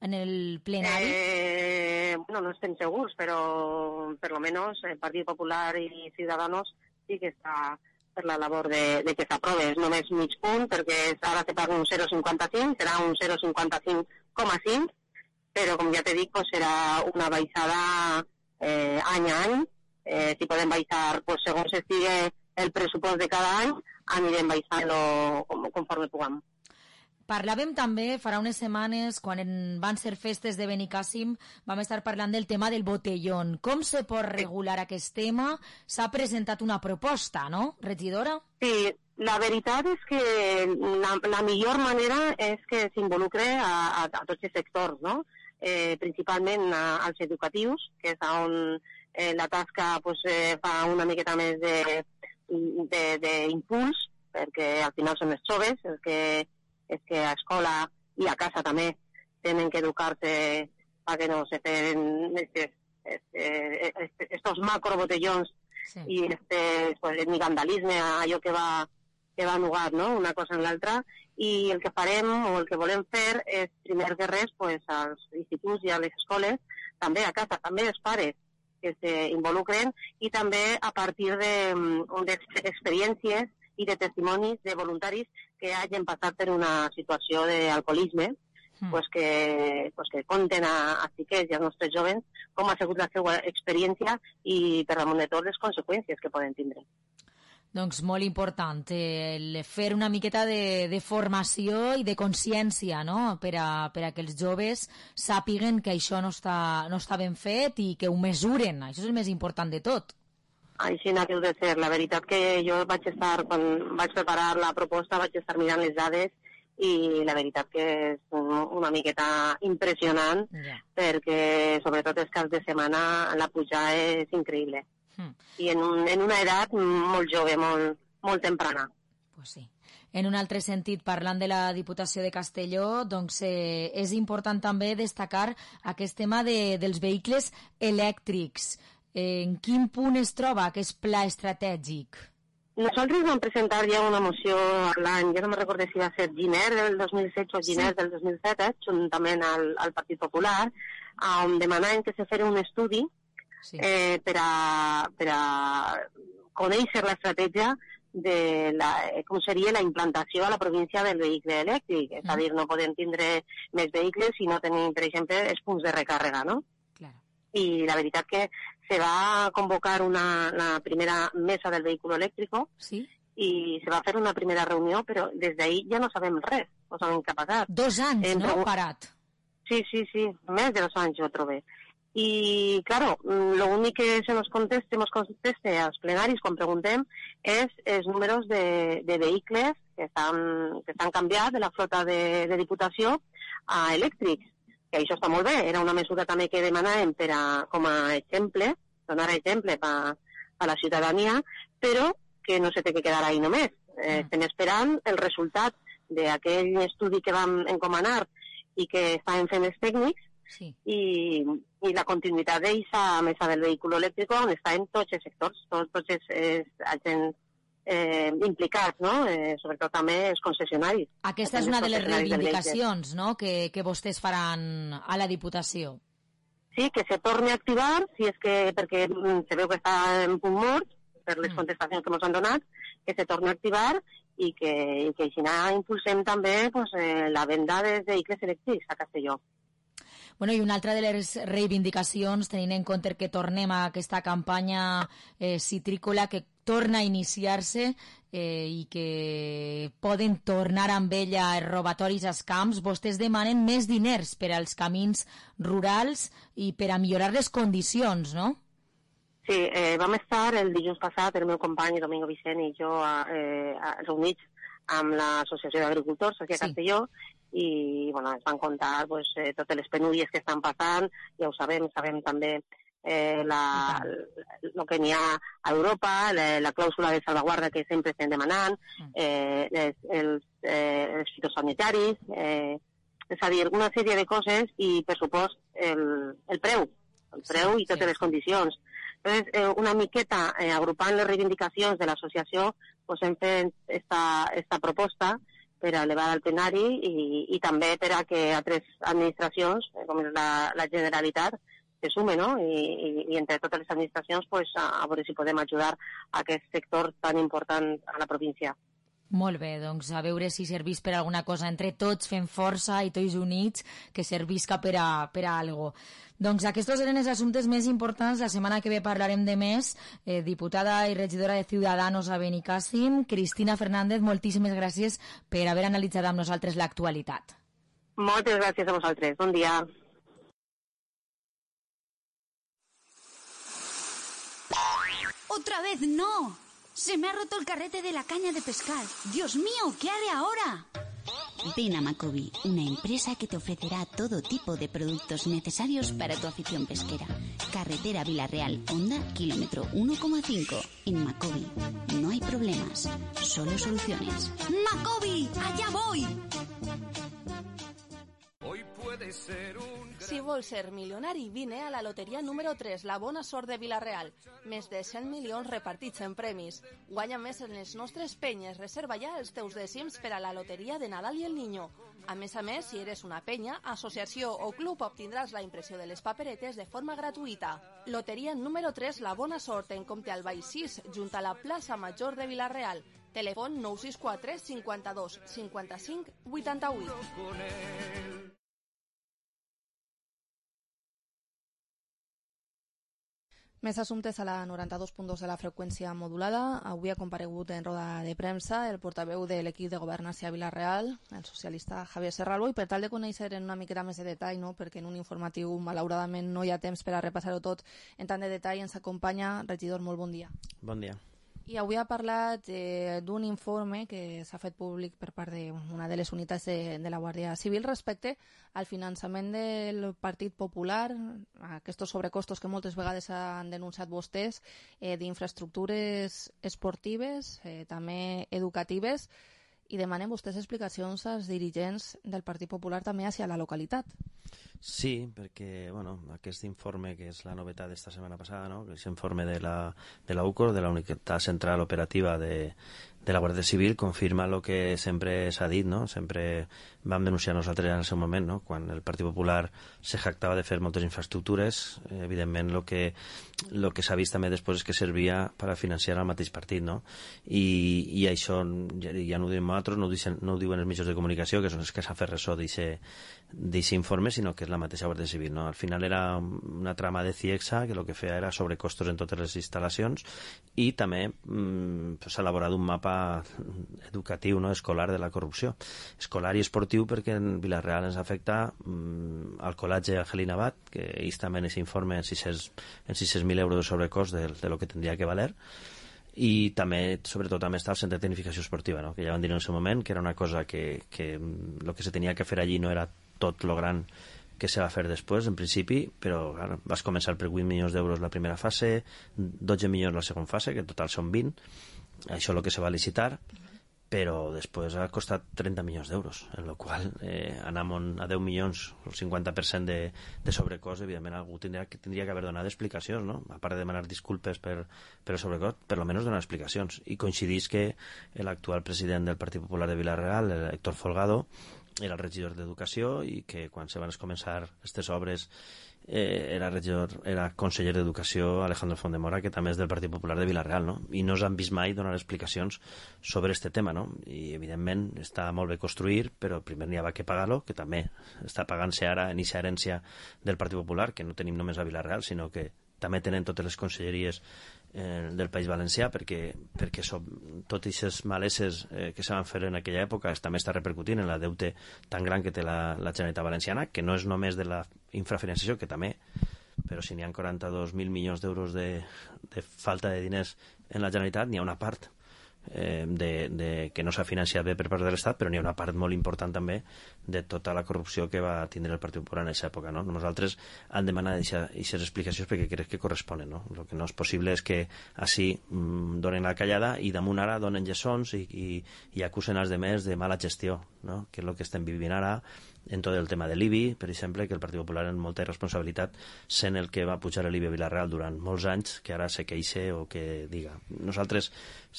en el plenari?
Eh, bueno, no estem segurs, però per lo menos el Partit Popular i Ciudadanos sí que està per la labor de, de que s'aprove. És només mig punt, perquè ara se paga un zero coma cinquanta cinc, serà un zero coma cinquanta cinc coma cinc, però com ja t'he dit, pues, serà una baixada eh, any a any. Eh, si podem baixar, pues, segons estigui el pressupost de cada any, anirem baixant-lo conforme puguem.
Parlàvem també, farà unes setmanes, quan van ser festes de Benicàssim, vam estar parlant del tema del botellón. Com se pot regular aquest tema? S'ha presentat una proposta, no, regidora?
Sí, la veritat és que la, la millor manera és que s'involucre a, a, a tots els sectors, no? Eh, principalment a, als educatius, que és on eh, la tasca pues, eh, fa una miqueta més d'impuls, perquè al final són els joves, els que és que a escola i a casa també tenen que educar-se perquè no se fem estos, estos, estos macrobotellons sí. I este, pues, ni vandalisme, allò que va, que va nugar, no? Una cosa en l'altra. I el que farem o el que volem fer és, primer que res, pues, als instituts i a les escoles, també a casa, també els pares que s'involucren i també a partir d'experiències i de testimonis de voluntaris que hagin passat per una situació d'alcoholisme, mm. pues que, pues que conten a, a xiquets i als nostres jovens com ha sigut la seva experiència i per damunt de tot les conseqüències que poden tindre.
Doncs molt important, el fer una miqueta de, de formació i de consciència, no? Per a, per a que els joves sàpiguen que això no està, no està ben fet i que ho mesuren. Això és el més important de tot.
Així n'ha de ser. La veritat que jo vaig estar, quan vaig preparar la proposta, vaig estar mirant les dades i la veritat que és una miqueta impressionant yeah. perquè sobretot els caps de setmana la pujada és increïble. Mm. I en, un, en una edat molt jove, molt, molt temprana.
Pues sí. En un altre sentit, parlant de la Diputació de Castelló, doncs eh, és important també destacar aquest tema de, dels vehicles elèctrics. En quin punt es troba aquest pla estratègic?
Nosaltres vam presentar ja una moció l'any, ja no me recordo si va ser gener del dos mil setze o gener sí. del dos mil set, juntament al, al Partit Popular, on demanaven que se fes un estudi sí. eh, per, a, per a conèixer l'estratègia de la, com seria la implantació a la província del vehicle elèctric. Mm. És a dir, no podem tindre més vehicles si no tenim, per exemple, els punts de recàrrega, no?
Claro.
I la veritat que se va convocar una, la primera mesa del vehículo eléctrico
¿Sí?
y se va a hacer una primera reunión, pero desde ahí ya no sabem res, no sabem què ha passat.
Dos anys, eh, no? Parat.
Sí, sí, sí, més de dos anys jo trobé. I, claro, lo únic que se nos conteste, nos conteste als plenaris quan preguntem és els números de, de vehicles que estan, que estan canviat de la flota de, de Diputació a elèctrics. Que això està molt bé, era una mesura també que demanàvem per a, com a exemple, donar exemple per a la ciutadania, però que no se té que quedar ahí només. Eh, estem esperant el resultat d'aquell estudi que vam encomanar i que estàvem fent els tècnics
sí.
i, i la continuïtat d'aquesta mesa del vehicle elèctric on està en tots els sectors, tots, tots els, els agents eh, implicats, no? Eh, sobretot també els concessionaris.
Aquesta és una de les reivindicacions, no?, que, que vostès faran a la Diputació.
Sí, que se torni a activar, si és que, perquè se veu que està en punt mort, per les contestacions que ens han donat, que se torni a activar i que, i que així impulsem també pues, eh, la venda de vehicles elèctrics a Castelló.
Bueno, i una altra de les reivindicacions, tenint en compte que tornem a aquesta campanya eh, citrícola que torna a iniciar-se eh, i que poden tornar amb ella els robatoris als camps, vostès demanen més diners per als camins rurals i per a millorar les condicions, no?
Sí, eh, vam estar el dilluns passat, el meu company Domingo Vicent i jo eh, reunits amb l'Associació d'Agricultors aquí a Castelló, i bueno, ens van contar pues, eh, totes les penúries que estan passant, ja ho sabem, sabem també eh, la, el que n'hi ha a Europa, la, la clàusula de salvaguarda que sempre estem demanant, eh, les, els, eh, els fitosanitaris, eh, és a dir, una sèrie de coses i, per supost, el, el preu, el preu i totes les condicions. Entonces, eh, una miqueta eh, agrupant les reivindicacions de l'associació, pues, hem fet esta, esta proposta per a elevar al plenari i, i també per a que altres administracions, com és la, la Generalitat, se sumen, no? I, i, i entre totes les administracions pues, a, a veure si podem ajudar a aquest sector tan important a la província.
Molt bé, doncs a veure si servís per alguna cosa. Entre tots fem força i tots units que servisca per a, per a algo. Doncs aquests eren els assumptes més importants. La setmana que ve parlarem de més. Eh, diputada i regidora de Ciudadanos a Benicàssim, Cristina Fernández, moltíssimes gràcies per haver analitzat amb nosaltres l'actualitat.
Moltes gràcies a vosaltres. Bon dia.
¡Otra vez no! ¡Se me ha roto el carrete de la caña de pescar! ¡Dios mío! ¿Qué haré ahora?
Ven a Macobi, una empresa que te ofrecerá todo tipo de productos necesarios para tu afición pesquera. Carretera Villarreal, Honda, kilómetro uno coma cinco. En Macobi no hay problemas, solo soluciones.
¡Macobi! ¡Allá voy!
Hoy puede ser un...
Si vols ser milionari, vine a la loteria número tres, la bona sort de Vila-real. Més de cent milions repartits en premis. Guanya més en les nostres penyes. Reserva ja els teus dècims per a la loteria de Nadal i el Niño. A més a més, si eres una penya, associació o club, obtindràs la impressió de les paperetes de forma gratuïta. Loteria número tres, la bona sort, en Comte Albay sis, junt a la plaça Major de Vila-real. Telèfon nou sis quatre cinquanta-dos cinquanta-cinc vuitanta-vuit. Més assumptes a la noranta-dos punt dos de la freqüència modulada. Avui ha comparegut en roda de premsa el portaveu de l'equip de governança a Vila-real, el socialista Javier Serralbo, i per tal de conèixer en una miqueta més de detall, no? Perquè en un informatiu malauradament no hi ha temps per a repassar-ho tot en tant de detall, ens acompanya regidor, molt bon dia.
Bon dia.
I avui ha parlat eh, d'un informe que s'ha fet públic per part d'una de les unitats de, de la Guàrdia Civil respecte al finançament del Partit Popular, aquests sobrecostos que moltes vegades han denunciat vostès, eh, d'infraestructures esportives, eh, també educatives, i demanen vostès explicacions als dirigents del Partit Popular també hacia la localitat.
Sí, perquè bueno, aquest informe, que és la novetat d'esta setmana passada, no? Que és l'informe de la, de la U C O R, de la Unitat Central Operativa de, de la Guàrdia Civil, confirma el que sempre s'ha dit, no? Sempre vam denunciar nosaltres en el seu moment, no? Quan el Partit Popular se jactava de fer moltes infraestructures, evidentment el que, lo que s'ha vist també després és que servia per a financiar el mateix partit, no? I, i això ja, ja no ho diem nosaltres, no ho, dicen, no ho diuen els mitjans de comunicació, que són els que s'han fet ressò d'aquest informe, sinó que és la mateixa Guàrdia Civil, no? Al final era una trama de CIEXA que el que feia era sobrecostos en totes les instal·lacions i també mm, s'ha elaborat un mapa educatiu, no? Escolar de la corrupció. Escolar i esportiu, perquè en Vila-real ens afecta mm, al col·legi Angelina Abad, que ells també en aquest informe en sis cents mil euros de sobrecost de, de lo que tindria que valer, i també, sobretot, també està el centre de tecnificació esportiva, no? Que ja van dir en el seu moment que era una cosa que, que el que se tenia que fer allí no era tot lo gran que se va fer després, en principi, però clar, vas començar per vuit milions d'euros la primera fase, dotze milions la segona fase, que en total són vint, això és el que se va licitar, però després ha costat trenta milions d'euros, en la qual eh, anam a deu milions, el cinquanta per cent de, de sobrecost, evidentment algú tindria que, tindria que haver donat explicacions, no? A part de demanar disculpes per, per el sobrecost, per almenys donar explicacions. I coincidís que l'actual president del Partit Popular de Vila-real, Héctor Folgado, era el regidor d'Educació i que quan se van començar aquestes obres eh, era regidor, era conseller d'Educació Alejandro Fondemora, que també és del Partit Popular de Vila-real, no? I no s'han vist mai donar explicacions sobre este tema, no? I evidentment està molt bé construir, però primer n'hi ha que pagar-lo, que també està pagant-se ara en eixa herència del Partit Popular, que no tenim només a Vila-real, sinó que també tenen totes les conselleries eh, del País Valencià, perquè, perquè som, totes aquestes maleses eh, que se van fer en aquella època també està repercutint en la deute tan gran que té la, la Generalitat Valenciana, que no és només de la infrafinançació, que també, però si n'hi ha quaranta-dos mil milions d'euros de, de falta de diners en la Generalitat, n'hi ha una part eh, de, de, que no s'ha financiat bé per part de l'Estat, però n'hi ha una part molt important també de tota la corrupció que va tindre el Partit Popular en aquesta època, no? Nosaltres han demanat aquestes explicacions perquè crec que corresponen, no? El que no és possible és que així mm, donen la callada i damunt ara donen lliçons i, i, i acusen els demés de mala gestió, no? Que és el que estem vivint ara en tot el tema de l'I B I, per exemple, que el Partit Popular en molta irresponsabilitat, sent el que va pujar l'I B I a Vila-real durant molts anys, que ara se queixe o que diga. Nosaltres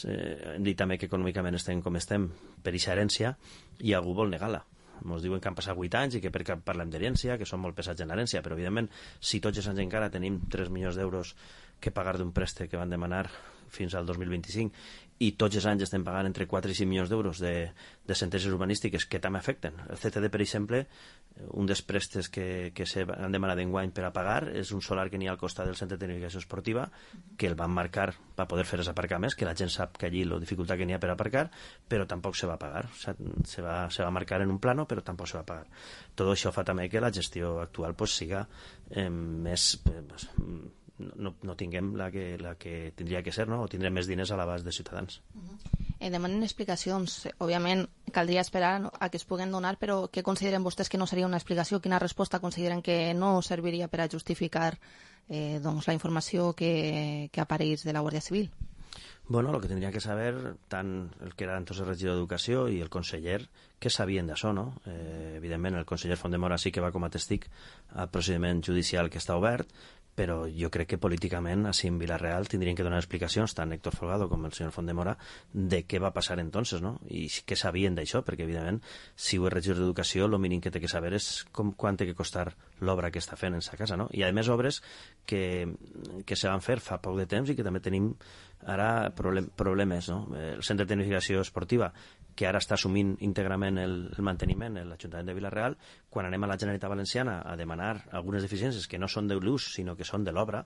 eh, hem dit també que econòmicament estem com estem per eixa herència i algú vol negar-la. Ens diuen que han passat vuit anys i que perquè parlem d'herència, que són molt pesats en l'herència, però evidentment si tots els anys encara tenim tres milions d'euros que pagar d'un préstec que van demanar fins al dos mil vint-i-cinc i tots els anys estem pagant entre quatre i cinc milions d'euros de, de sentències urbanístiques que també afecten. El C T D, per exemple, un dels préstecs que, que se han demanat d'enguany per a pagar és un solar que n'hi ha al costat del centre de tecnificació esportiva, que el van marcar per poder fer els aparcaments, que la gent sap que allí la dificultat que n'hi ha per aparcar, però tampoc se va pagar. Se, se, va, se va marcar en un plano, però tampoc se va pagar. Tot això fa també que la gestió actual pues, siga eh, més... Eh, pues, no, no tinguem la que, la que tindria que ser, no? O tindrem més diners a l'abast de ciutadans.
Eh, demanen explicacions. Òbviament, caldria esperar a que es puguen donar, però què consideren vostès que no seria una explicació? Quina resposta consideren que no serviria per a justificar eh, doncs, la informació que, que apareix de la Guàrdia Civil?
Bueno, lo que tendría que saber tant el que era entonces regidor d'Educació i el conseller que sabien d'això, no? Eh, evidentment, el conseller Fondemora sí que va com a testic al procediment judicial que està obert, però jo crec que políticament així en Vila-real tindrien que donar explicacions tant Héctor Folgado com el senyor Fondemora de què va passar entonces, no? I què sabien d'això, perquè evidentment si ho és regidor d'Educació el mínim que té que saber és com, quant té que costar l'obra que està fent en sa casa, no? I a més obres que, que se van fer fa poc de temps i que també tenim ara problem, problemes, no? El centre de tecnificació esportiva que ara està assumint íntegrament el, el manteniment en l'Ajuntament de Vila-real, quan anem a la Generalitat Valenciana a demanar algunes deficiències que no són de l'ús, sinó que són de l'obra,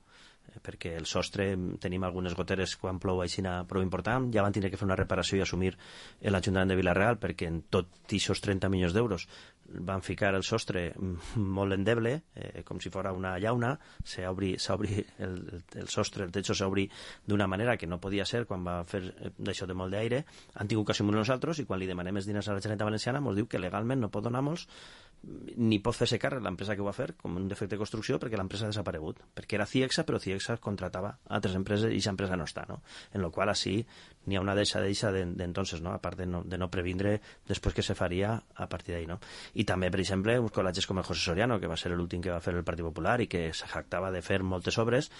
eh, perquè el sostre tenim algunes goteres quan plou aixina prou important, ja van tindre que fer una reparació i assumir l'Ajuntament de Vila-real perquè en tot aquests trenta milions d'euros van ficar el sostre molt endeble, eh, com si fora una llauna, s'obri el, el sostre, el techo s'obri d'una manera que no podia ser quan va fer d'això de molt d'aire, han tingut que assumir nosaltres i quan li demanem els diners a la Generalitat Valenciana ens diu que legalment no pot donar-nos ni pot fer-se càrrec l'empresa que ho va fer com un defecte de construcció perquè l'empresa ha desaparegut, perquè era Ciexa però Ciexa contratava altres empreses i aquesta empresa no està, no? En la qual així n'hi ha una deixa deixa d'entonces, no? A part de no, de no previndre després que se faria a partir d'ahí, no? I també, per exemple, uns col·legis com el José Soriano, que va ser l'últim que va fer el Partit Popular i que se jactava de fer moltes obres,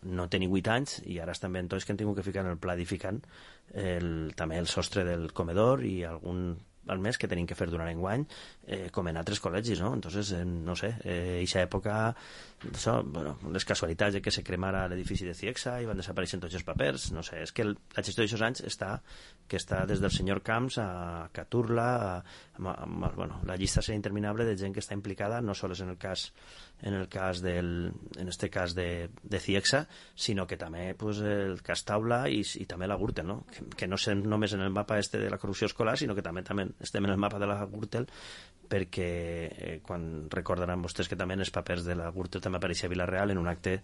no té ni vuit anys i ara estan ben tots que han tingut que ficar en el pla edificant el, també el sostre del comedor i algun al mes que tenim que fer durant enguany eh, com en altres col·legis, no? Entonces, eh, no sé, eh, eixa època això, bueno, les casualitats de que se cremara l'edifici de Ciexa i van desaparèixer tots els papers, no sé, és que el, la gestió d'aixòs anys està que està des del senyor Camps a Caturla a, a, a, a, bueno, la llista serà interminable de gent que està implicada no sols en el cas en el cas del, en este cas de, de Ciexa, sinó que també pues, el cas Taula i, i també la Gürtel, no? Que, que no estem només en el mapa este de la corrupció escolar, sinó que també, també estem en el mapa de la Gürtel perquè eh, quan recordaran vostès que també en els papers de la Gürtel també apareixia a Vila-real en un acte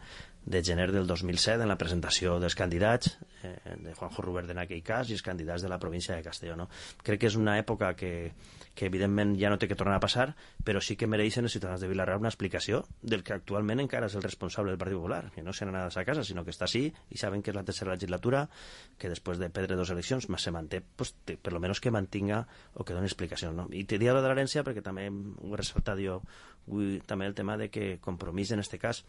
de gener del dos mil set en la presentació dels candidats eh, de Juanjo Rubert en aquell cas i els candidats de la província de Castelló, no? Crec que és una època que, que evidentment ja no té que tornar a passar, però sí que mereixen els ciutadans de Vila-real una explicació del que actualment encara és el responsable del Partit Popular, que no se n'ha anat a casa, sinó que està així i saben que és la tercera legislatura, que després de perdre dos eleccions se manté, pues, te, per lo menos que mantinga o que doni explicació, no? I te diria de l'herència perquè també ho he ressaltat jo avui, també el tema de que Compromís en este cas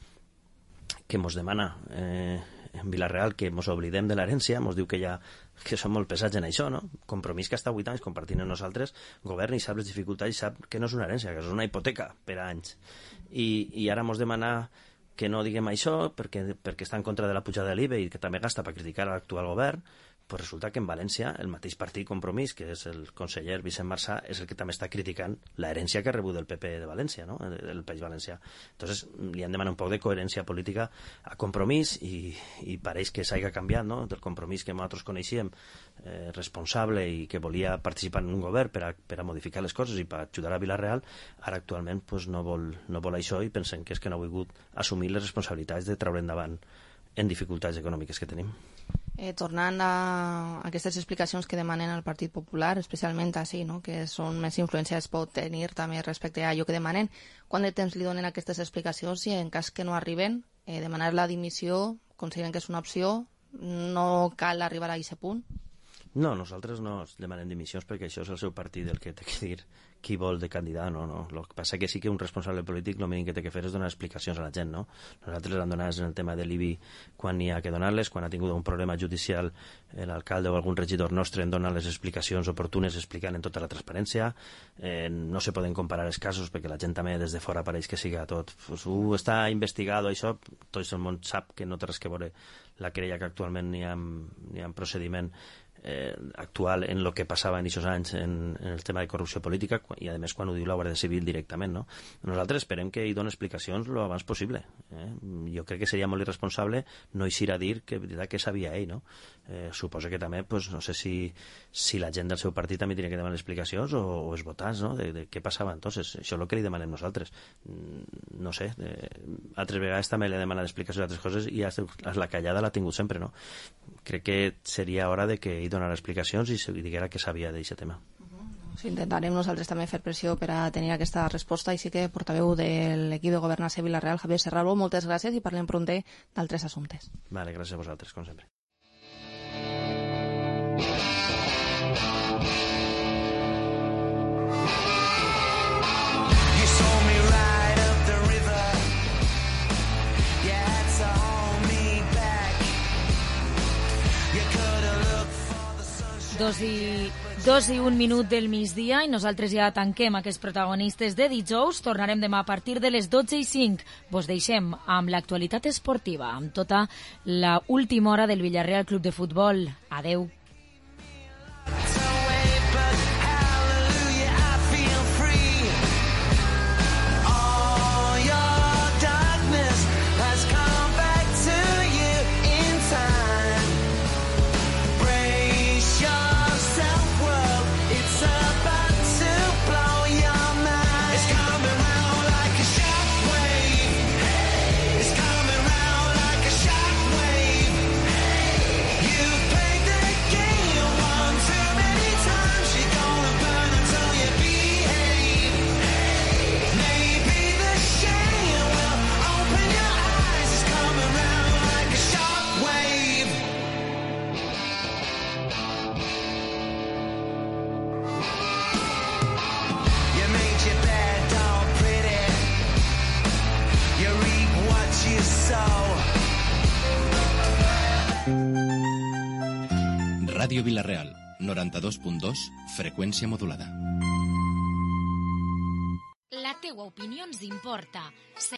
que mos demana eh, en Vila-real que mos oblidem de l'herència, mos diu que ja que som molt pesats en això, no? Compromís que està vuit anys compartint amb nosaltres, govern i sap les dificultats i sap que no és una herència, que és una hipoteca per a anys. I, i ara mos demana que no diguem això perquè, perquè està en contra de la pujada de l'I V A i que també gasta per criticar l'actual govern, pues resulta que en València el mateix partit Compromís, que és el conseller Vicent Marsà, és el que també està criticant l'herència que ha rebut del P P de València, no? el, el País Valencià. Entonces li han demanat un poc de coherència política a Compromís i, i pareix que s'hagi canviat, no? Del Compromís que nosaltres coneixíem, eh, responsable i que volia participar en un govern per a, per a modificar les coses i per ajudar a Vila-real, ara actualment pues, no, vol, no vol això i pensem que és que no ha volgut assumir les responsabilitats de treure endavant en dificultats econòmiques que tenim.
Eh, tornant a aquestes explicacions que demanen al Partit Popular, especialment així, no? Que són més influències pot tenir també respecte a allò que demanen, quant de temps li donen aquestes explicacions i en cas que no arriben, eh, demanar la dimissió, consideren que és una opció, no cal arribar a aquest punt?
No, nosaltres no demanem dimissions perquè això és el seu partit el que té que dir qui vol de candidat, no, no. El que passa que sí que un responsable polític el mínim que té que fer és donar explicacions a la gent, no? Nosaltres les hem donat en el tema de l'I B I quan n'hi ha que donar-les, quan ha tingut un problema judicial l'alcalde o algun regidor nostre en donar les explicacions oportunes explicant en tota la transparència, eh, no se poden comparar els casos perquè la gent també des de fora pareix que siga tot, pues, uh, està investigado, això, tot el món sap que no té res que veure la querella que actualment n'hi ha, n'hi ha procediment Eh, actual en el que passava en aquests anys en, en el tema de corrupció política i a més quan ho diu la Guàrdia Civil directament, no? Nosaltres esperem que hi doni explicacions lo abans possible, eh? Jo crec que seria molt irresponsable no eixir a dir que, que sabia ell, no? Eh, suposo que també, pues, no sé si, si la gent del seu partit també tenia que demanar explicacions o, o els votants, no? De, de què passava entonces, això és el que li demanem nosaltres, no sé, eh, altres vegades també li demanen explicacions d'altres coses i la callada l'ha tingut sempre, no? Crec que seria hora de que ell donar explicacions i, i diguera que sabia d'aquest tema.
Sí, intentarem nosaltres també fer pressió per a tenir aquesta resposta i sí que portaveu de l'equip de governança Vila-real, Javier Serralbo, moltes gràcies i parlem prompte d'altres assumptes.
Vale, gràcies a vosaltres, com sempre.
Dos i, dos i un minut del migdia i nosaltres ja tanquem aquests protagonistes de dijous. Tornarem demà a partir de les dotze i cinc. Vos deixem amb l'actualitat esportiva, amb tota la última hora del Villarreal Club de Futbol. Adeu.
Ràdio Vila-real, noranta-dos punt dos, freqüència modulada.
La teua opinió ens importa.